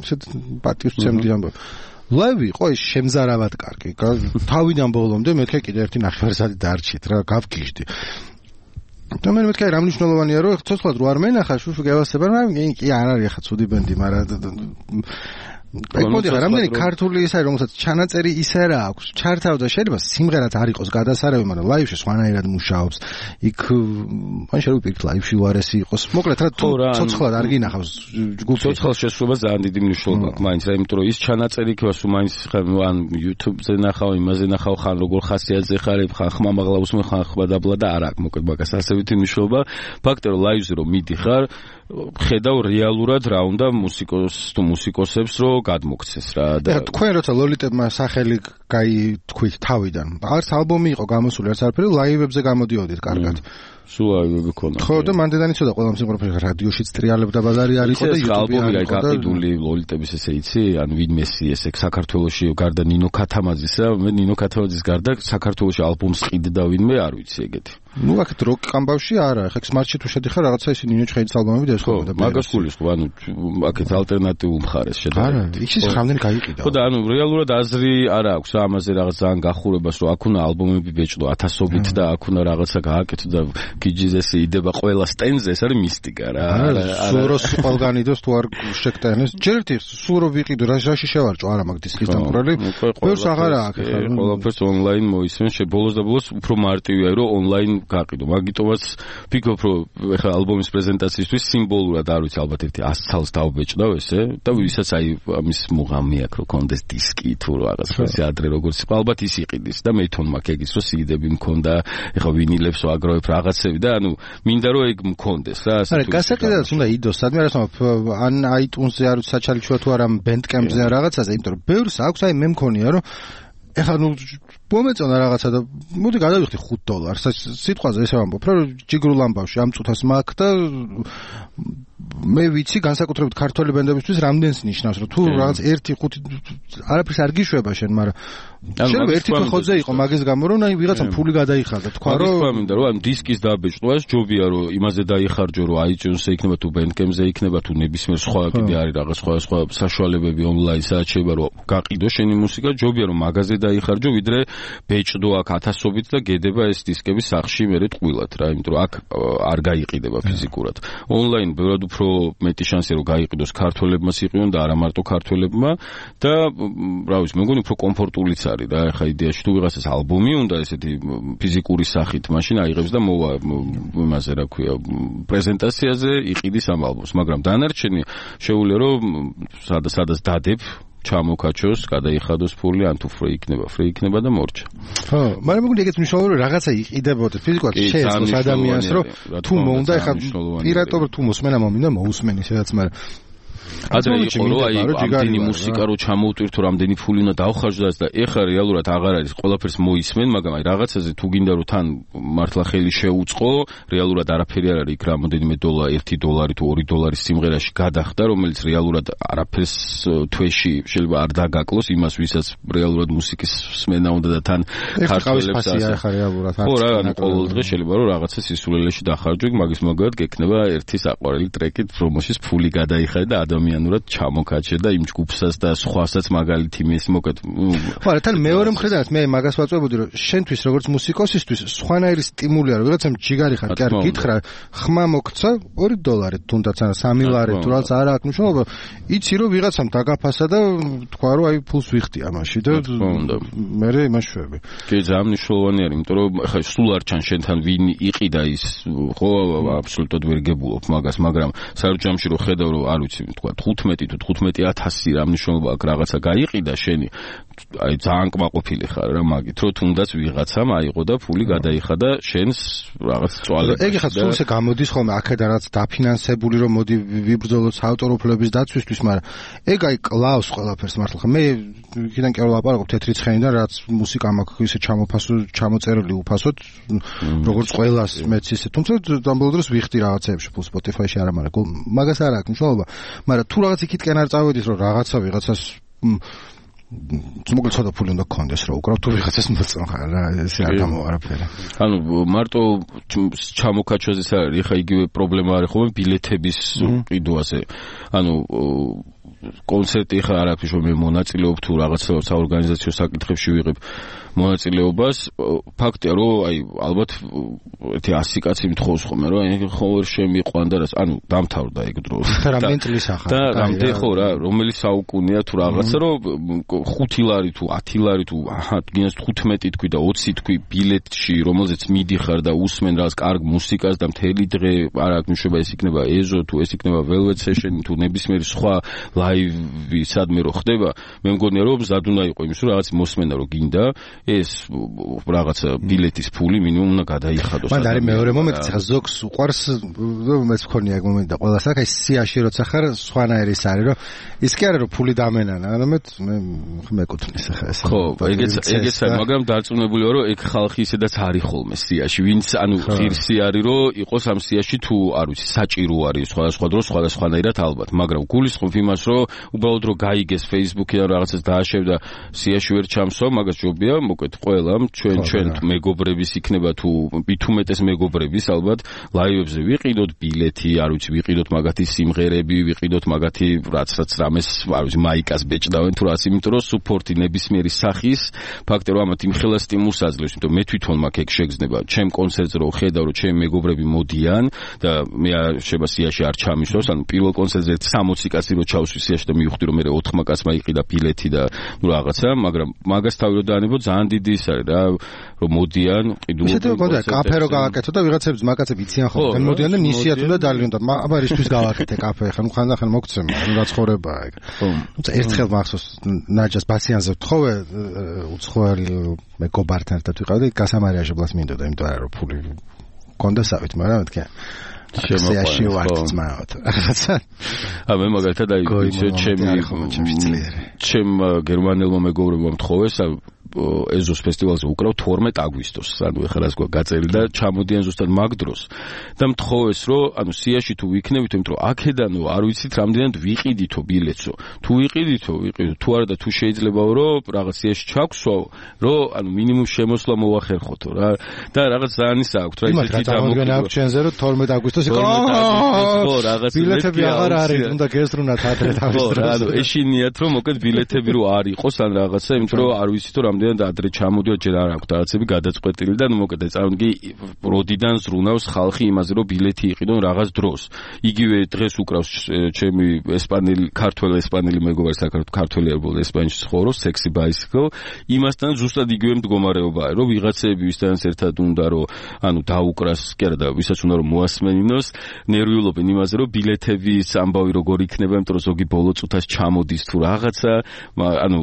ისეთ პატივს ცემდი ამბობ ლაივი ყო ის შემზარავად კარგი თავიდან ბოლომდე მეთქე კიდე ერთი ნახევარსაათი დარჩით რა გავგიჟდი და მე მეთქე რა მნიშვნელოვანია რომ ცოცხლად რო არ მენახა შუშუ გევასება მაგრამ კი არ არის ახლა ცუდი ბენდი მაგრამ ეგ მოდი რამდენი ქართული ის არის რომელსაც ჩანაწერი ისე რა აქვს ჩართავდა შეიძლება სიმღერაც არ იყოს გადასარევი მაგრამ ლაივში სხვანაირად მუშაობს იქ მან შეიძლება ვიპირთ ლაივში უარესი იყოს მოკლედ რა ცოცხლად არ გინახავს ჯგუფი ცოცხალ შესრულება ძალიან დიდი მნიშვნელობა აქვს მაინც იმიტომ რომ ის ჩანაწერი იქნება სულ მაინც ან YouTube-ზე ნახავ იმაზე ნახავ ხან როგორ ხასიათზე ხარ ხან ხმამაღლა უსმენ ხან ხბადაბლა და არ აქვს მოკლედ მაგას ასეთი მნიშვნელობა ფაქტია რომ ლაივზე რომ მიდიხარ ხედავ რეალურად რა უნდა მუსიკოს თუ მუსიკოსებს რომ გადმოქცეს რა და თქვენ როცა ლოლიტებმა სახელი გაითქვით თავიდან არც ალბომი იყო გამოსული არც არაფერი ლაივებზე გამოდიოდით კარგად სულ ლაივები ქონდა ხო და მანდ იცოდა ყველა მსიმღერა რადიოშიც ტრიალებდა ბაზარი არ იყო და ალბომი რა გაყიდული ლოლიტების ესე იცი ან ვინმესი ესე საქართველოში გარდა ნინო ქათამაძისა მე ნინო ქათამაძის გარდა საქართველოში ალბომს ყიდდა ვინმე არ ვიცი ეგეთი ну აქეთ როკ კამბავში არა ხა სმარტში თუ შედიხარ რაღაცა ისე ნინო ჩხეიძის ალბომები დაესხობა და მაგას გულის ხო ანუ აქეთ ალტერნატიულ მხარეს შედარებით არა ის რამდენი გაიყიდა ხო და ანუ რეალურად აზრი არ აქვს ამაზე რაღაც ძალიან გახურებას რომ აქ უნდა ალბომები ბეჭდო ათასობით და აქ უნდა რაღაცა გააკეთო და გიჯიზესი იდება ყველა სტენდზე ეს არის მისტიკა რა არა სულ რო ყველგან იდოს თუ არ შეკტენეს ჯერ ერთი სულ რო ვიყიდო რაში შევარჭო არა მაგ დისკის დამყრალი ბევრს აღარა აქ ხა ყველაფერს ონლაინ მოისმენ შებოლოს და ბოლოს უფრო მარტივია რომ ონლაინ გაყიდო მაგიტომაც ფიქრობ რომ ეხლა ალბომის პრეზენტაციისთვის სიმბოლურად არ ვიცი ალბათ ერთი ას ცალს დავბეჭდავ ესე და ვისაც აი ამის მუღამი აქვს რომ კონდეს დისკი თუ რაღაც ესე ადრე როგორც ალბათ ის იყიდის და მე თვითონ მაქვს ეგის რომ სიდები მქონდა ეხლა ვინილებს ვაგროვებ რაღაცები და ანუ მინდა რომ ეგ მქონდეს რა ასე თუ არა გასაყიდად უნდა იდოს სადმე რა ან iTunes-ზე არ ვიცი საჩალიჩოა თუ არა Bandcamp-ზე რაღაცაზე იმიტომ რომ ბევრს აქვს აი მე მქონია რომ ეხლა ნუ მომეწონა რაღაცა და მოდი გადავიხდი ხუთ დოლარს სიტყვაზე ესე ვამბობ რომ ჯიგრულ ამბავში ამ წუთას მაქვს და მე ვიცი განსაკუთრებით ქართველი ბენდებისთვის რამდენს ნიშნავს რომ თუ რაღაც ერთი ხუთი არაფერს არ გიშვება შენ მაგრამ შეიძლება ერთი ხოძე იყო მაგის გამო რომ აი ვიღაცამ ფული გადაიხარდა თქვა რომ მაგის მინდა რომ ამ დისკის დაბეჭდვას ჯობია რომ იმაზე დაიხარჯო რომ iTunes-ზე იქნება თუ Bandcamp-ზე იქნება თუ ნებისმიერ სხვა კიდე არის რაღაც სხვა სხვა საშუალებები ონლაინ სადაც შეიძლება რომ გაყიდო შენი მუსიკა ჯობია რომ მაგაზე დაიხარჯო ვიდრე ბეჭდო აქ ათასობით და გედება ეს დისკები სახში მერე ტყვილად რა იმიტომ რომ აქ არ გაიყიდება ფიზიკურად ონლაინ ბევრად უფრო მეტი შანსი რომ გაიყიდოს ქართველებმაც იყიონ და არა მარტო ქართველებმა და რა ვიცი მე მგონი უფრო კომფორტულიც არის რა ეხა იდეაში თუ ვიღაცას ალბომი უნდა ესეთი ფიზიკური სახით მაშინ აიღებს და მოვა იმაზე რა ქვია პრეზენტაციაზე იყიდის ამ ალბომს მაგრამ დანარჩენი შეუძლია რომ სადაც სადაც დადებ ჩამოკაჩოს, გადაიხადოს ფული, ან თუ ფრი იქნება, ფრი იქნება და მორჩა. ხო, მაგრამ მეგონი ეგეც მნიშვნელოვანია რომ რაღაცა იყიდებოდეს ფიზიკურად შეეძლოს ადამიანს რომ თუ მოუნდა ეხა პირატობ თუ მოსმენა მომინდა მოусმენი სადაც მაგრამ ადრე იყო რომ აი ამდენი მუსიკა რო ჩამოუტვირთო რამდენი ფული უნდა დავხარჯდას და ეხლა რეალურად აღარ არის ყველაფერს მოისმენ მაგრამ აი რაღაცაზე თუ გინდა რომ თან მართლა ხელი შეუწყო რეალურად არაფერი არ არის იქ რამოდენიმე დოლარი ერთი დოლარი თუ ორი დოლარი სიმღერაში გადახდა რომელიც რეალურად არაფერს თვეში შეიძლება არ დაგაკლოს იმას ვისაც რეალურად მუსიკის სმენა უნდა და თან ქართველებს ასე ახლა რეალურად ხო რა ანუ ყოველ დღე შეიძლება რომ რაღაცა სისულელეში დახარჯო მაგის მაგალითად გექნება ერთი საყვარელი ტრეკით პრომოშის ფული გადაიხადე და ადამიანურად ჩამოკაჩე და იმ ჯგუფსაც და სხვასაც მაგალითი მის მოკეთ. ხო, რა თან მეორე მხრიდანაც მე მაგას ვაწვევდი რომ შენთვის როგორც მუსიკოსისთვის სხვანაირი სტიმული არის, ვიღაცამ ჯიგარი ხარ, კი არ გითხრა, ხმა მოგცა ორი დოლარი თუნდაც არა სამი ლარი თუ რაც არა აქვს მნიშვნელობა, იცი რომ ვიღაცამ დაგაფასა და თქვა რომ აი ფულს ვიხდი ამაში და მე იმაშვები. კი, ძალიან მნიშვნელოვანი არის, იმიტომ რომ ხა სულ არ ჩან შენთან ვინ იყიდა ის, ხო, აბსოლუტურად ვერ გებულობ მაგას, მაგრამ სარჯამში რომ ხედავ რომ არ ვიცი, თქვა თხუთმეტი თუ თხუთმეტი ათასი რა მნიშვნელობა აქვს რაღაცა გაიყიდა შენი, აი ძალიან კმაყოფილი ხარ რა მაგით, რომ თუნდაც ვიღაცამ აიღო და ფული გადაიხადა შენს რაღაც წვალებაში. ეგ ხა სულ ესე გამოდის ხოლმე აქედან რაც დაფინანსებული რომ მოდი ვიბრძოლოთ საავტორო უფლებების დაცვისთვის, მაგრამ ეგ აი კლავს ყველაფერს მართლა ხა მე იქიდან კი არ ვლაპარაკობ თეთრი ცხენიდან რაც მუსიკა მაქვს ისე ჩამოფასო ჩამოწერილი უფასოდ როგორც ყველას მეც ისე თუმცა დამბოლო დროს ვიხდი რაღაცეებში ფულ Spotify-ში არა მაგრამ მაგას არ აქვს მნიშვნელობა მაგრამ თუ რაღაც იქითკენ არ წავედის რომ რაღაცა ვიღაცას მოკლედ ცოტა ფული უნდა გქონდეს რომ უკრავ თუ ვიღაცას მოწონ ხარ რა ესე არ გამოვარაფერა. ანუ მარტო ჩამოკაჩვაზეც არის ხა იგივე პრობლემა არის ხოლმე ბილეთების ყიდვაზე. ანუ კონცერტი ხა არ აქვს რომ მე მონაწილეობ თუ რაღაცა საორგანიზაციო საკითხებში ვიღებ მონაწილეობას, ფაქტია რომ აი ალბათ ერთი ასი კაცი მთხოვს ხოლმე რომ აი ხო ვერ შემიყვან და რას, ანუ დამთავრდა ეგ დრო. და რამდენი წლის ახლა? და რამდენი ხო რა, რომელი საუკუნეა თუ რაღაცა რომ ხუთი ლარი თუ ათი ლარი თუ აჰა გინას თხუთმეტი თქვი და ოცი თქვი ბილეთში, რომელზეც მიდიხარ და უსმენ რაღაც კარგ მუსიკას და მთელი დღე არ აქვს მნიშვნელობა ეს იქნება ეზო თუ ეს იქნება Velvet Session თუ ნებისმიერი სხვა ლაივი სადმე რო ხდება, მე მგონია რომ მზად უნდა იყო იმის რომ რაღაც მოსმენა რო გინდა ეს რაღაცა ბილეთის ფული მინიმუმ უნდა გადაიხადოს. მან არის მეორე მომენტი, ხა ზოგს უყვარს მეც მქონია ეგ მომენტი და ყველას აქ აი სიაში როცა ხარ სხვანაირი ის არის რომ ის კი არა რომ ფული დამენანა, არამედ მე მეკუთვნის ხა ეს. ხო, ეგეც ეგეც არის, მაგრამ დარწმუნებული ვარ რომ ეგ ხალხი ისედაც არის ხოლმე სიაში, ვინც ანუ ღირსი არის რომ იყოს ამ სიაში თუ არ ვიცი საჭირო არის სხვადასხვა დროს სხვადასხვანაირად ალბათ, მაგრამ გულისხმობ იმას რომ უბრალოდ რომ გაიგეს Facebook-იდან რაღაცას დააშევ და სიაში ვერ ჩამსო, მაგას ჯობია მოკეთ ყველამ ჩვენ ჩვენ მეგობრების იქნება თუ მით უმეტეს მეგობრების ალბათ ლაივებზე ვიყიდოთ ბილეთი, არ ვიცი ვიყიდოთ მაგათი სიმღერები, ვიყიდოთ მაგათი რაცაც რამეს, არ ვიცი მაიკას ბეჭდავენ თუ რაც, იმიტომ რომ სუპორტი ნებისმიერი სახის ფაქტია რომ ამათ იმხელა სტიმულს აძლევს, იმიტომ მე თვითონ მაქვს ეგ შეგრძნება, ჩემ კონცერტზე რომ ხედავ რომ ჩემი მეგობრები მოდიან და მე შეიძლება სიაში არ ჩამისვას, ანუ პირველ კონცერტზე სამოცი კაცი რო ჩავსვი სიაში და მივხვდი რომ მე ოთხმა კაცმა იყიდა ბილეთი და ნუ რაღაცა, მაგრამ მაგას თავი რო დაანებო ძალიან დიდი ის არის რა, რომ მოდიან, ყიდულობენ. ისეთივე კონდა კაფე რო გავაკეთო და ვიღაცებს მაგაცები იციან ხოლმე. ან მოდიან და ნისიათ უნდა დალიონ და აბა რისთვის გავაკეთე კაფე, ხან ხანდახან მოგცემა, ანუ რაცხოვრებაა ეგ. თუმცა ერთხელ მახსოვს ნაჯას ბასიანზე ვთხოვე უცხოელი მეგობართან ერთად ვიყავ და გასამარიაჟებლად მინდოდა, იმიტომ რომ ფული კონდასავით, მაგრამ მეთქე შემოყვანილი ვარ ძმაოთ. ა მე მაგალითად აი ჩემი ჩემ გერმანელმა მეგობრებმა მთხოვეს ეზოს ფესტივალზე უკრავ თორმეტ აგვისტოს, ანუ ეხლა რას გვაქვს გაწერილი და ჩამოდიან ზუსტად მაგ დროს და მთხოვეს რომ ანუ სიაში თუ ვიქნებით, იმიტომ რომ აქედანო არ ვიცით რამდენად ვიყიდითო ბილეთსო, თუ ვიყიდითო ვიყიდო თუ არა და თუ შეიძლებაო რომ რაღაც სიაში ჩაგვსვაო, რომ ანუ მინიმუმ შემოსვლა მოახერხოთო რა და რაღაც ძალიან ის აქვს რა ისეთი დამოკიდებული აქვს ჩვენზე რომ თორმეტ აგვისტოს იყო ხო რაღაც ბილეთები აღარ არის, უნდა გესრუნათ ადრე თავის დროს. ანუ ეშინიათ რომ მოკეთ ბილეთები რო არ იყოს ან რაღაცა, იმიტომ რომ არ ვიცით რომ და ადრე ჩამოდიოთ ჯერ არ აქვს რაღაცები გადაწყვეტილი და ნუ მოკეთ წარმოგიდგე როდიდან ზრუნავს ხალხი იმაზე რომ ბილეთი იყიდონ რაღაც დროს. იგივე დღეს უკრავს ჩემი ესპანელი ქართველი ესპანელი მეგობარი საქართველოს ქართველი ერბოლ ესპანეთში ცხოვრობს Sexy Bicycle, იმასთან ზუსტად იგივე მდგომარეობაა რომ ვიღაცები ვისთანაც ერთად უნდა რომ ანუ დაუკრას კი არა და ვისაც უნდა რომ მოასმენინოს, ნერვიულობენ იმაზე რომ ბილეთების ამბავი როგორ იქნება, იმიტომ რომ ზოგი ბოლო წუთას ჩამოდის თუ რაღაცა, ანუ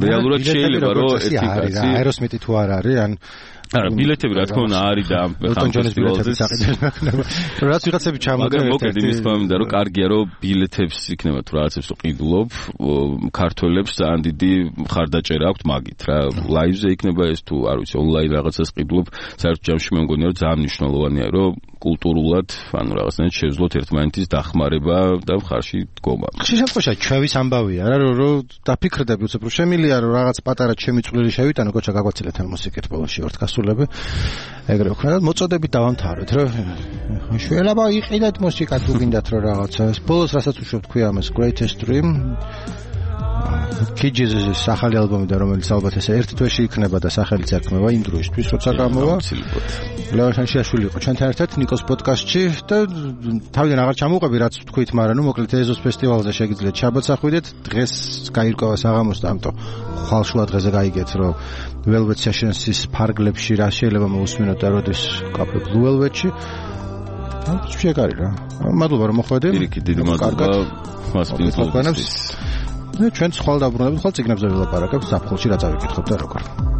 რეალურად შეიძლება რომ არის რა, აეროსმიტი თუ არ არის, ან არა, ბილეთები რა თქმა უნდა არის და ამ ფესტივალზე საყიდელია. რაც ვიღაცები ჩამოდგენ ერთ-ერთი. მაგრამ მოკეთ იმის თქმა რომ კარგია რომ ბილეთებს იქნება თუ რაღაცებს ყიდულობ, ქართველებს ძალიან დიდი მხარდაჭერა აქვთ მაგით რა. ლაივზე იქნება ეს თუ არ ვიცი ონლაინ რაღაცას ყიდულობ, საერთოდ ჯამში მე მგონია რომ ძალიან მნიშვნელოვანია რომ კულტურულად, ანუ რაღაცნაირად შევძლოთ ერთმანეთის დახმარება და მხარში დგომა. ხშირ შემთხვევაში ჩვევის ამბავია რა, რომ დაფიქრდები უცებ რომ შემილია რომ რაღაც პატარა ჩემი წვლილი შევიტანო, კოჩა გაგვაცილეთ ან მუსიკით ბოლოში ვართ გასულები. ეგრე ვქნა და მოწოდებით დავამთავრეთ, რომ შველაბა იყიდეთ მუსიკა თუ გინდათ რომ რაღაცა. ბოლოს რასაც უშვებ თქვი ამას Greatest Dream Kidges-ის სახალი ალბომი და რომელიც ალბათ ესე ერთ თვეში იქნება და სახელიც ერქმევა იმ დროისთვის, როცა გამოვა. ლევან შანშიაშვილი იყო ჩვენთან ერთად ნიკოს პოდკასტში და თავიდან აღარ ჩამოვყები რაც თქვით, მაგრამ ნუ მოკლედ ეზოს ფესტივალზე შეგიძლიათ შაბათს ახვიდეთ, დღეს გაირკვევა საღამოს და ამიტომ ხვალშუა დღეზე გაიგეთ, რომ Velvet Sessions-ის ფარგლებში რა შეიძლება მოусმინოთ და როდის კაფე Blue Velvet-ში. შეგარი რა. მადლობა რომ მოხვედე. დიდი მადლობა. მასპინს ჩვენ სხვა დაბრუნებით ხვალ ციგნებზე ვილაპარაკებთ, საფხულში რა წავიკითხოთ და როგორ.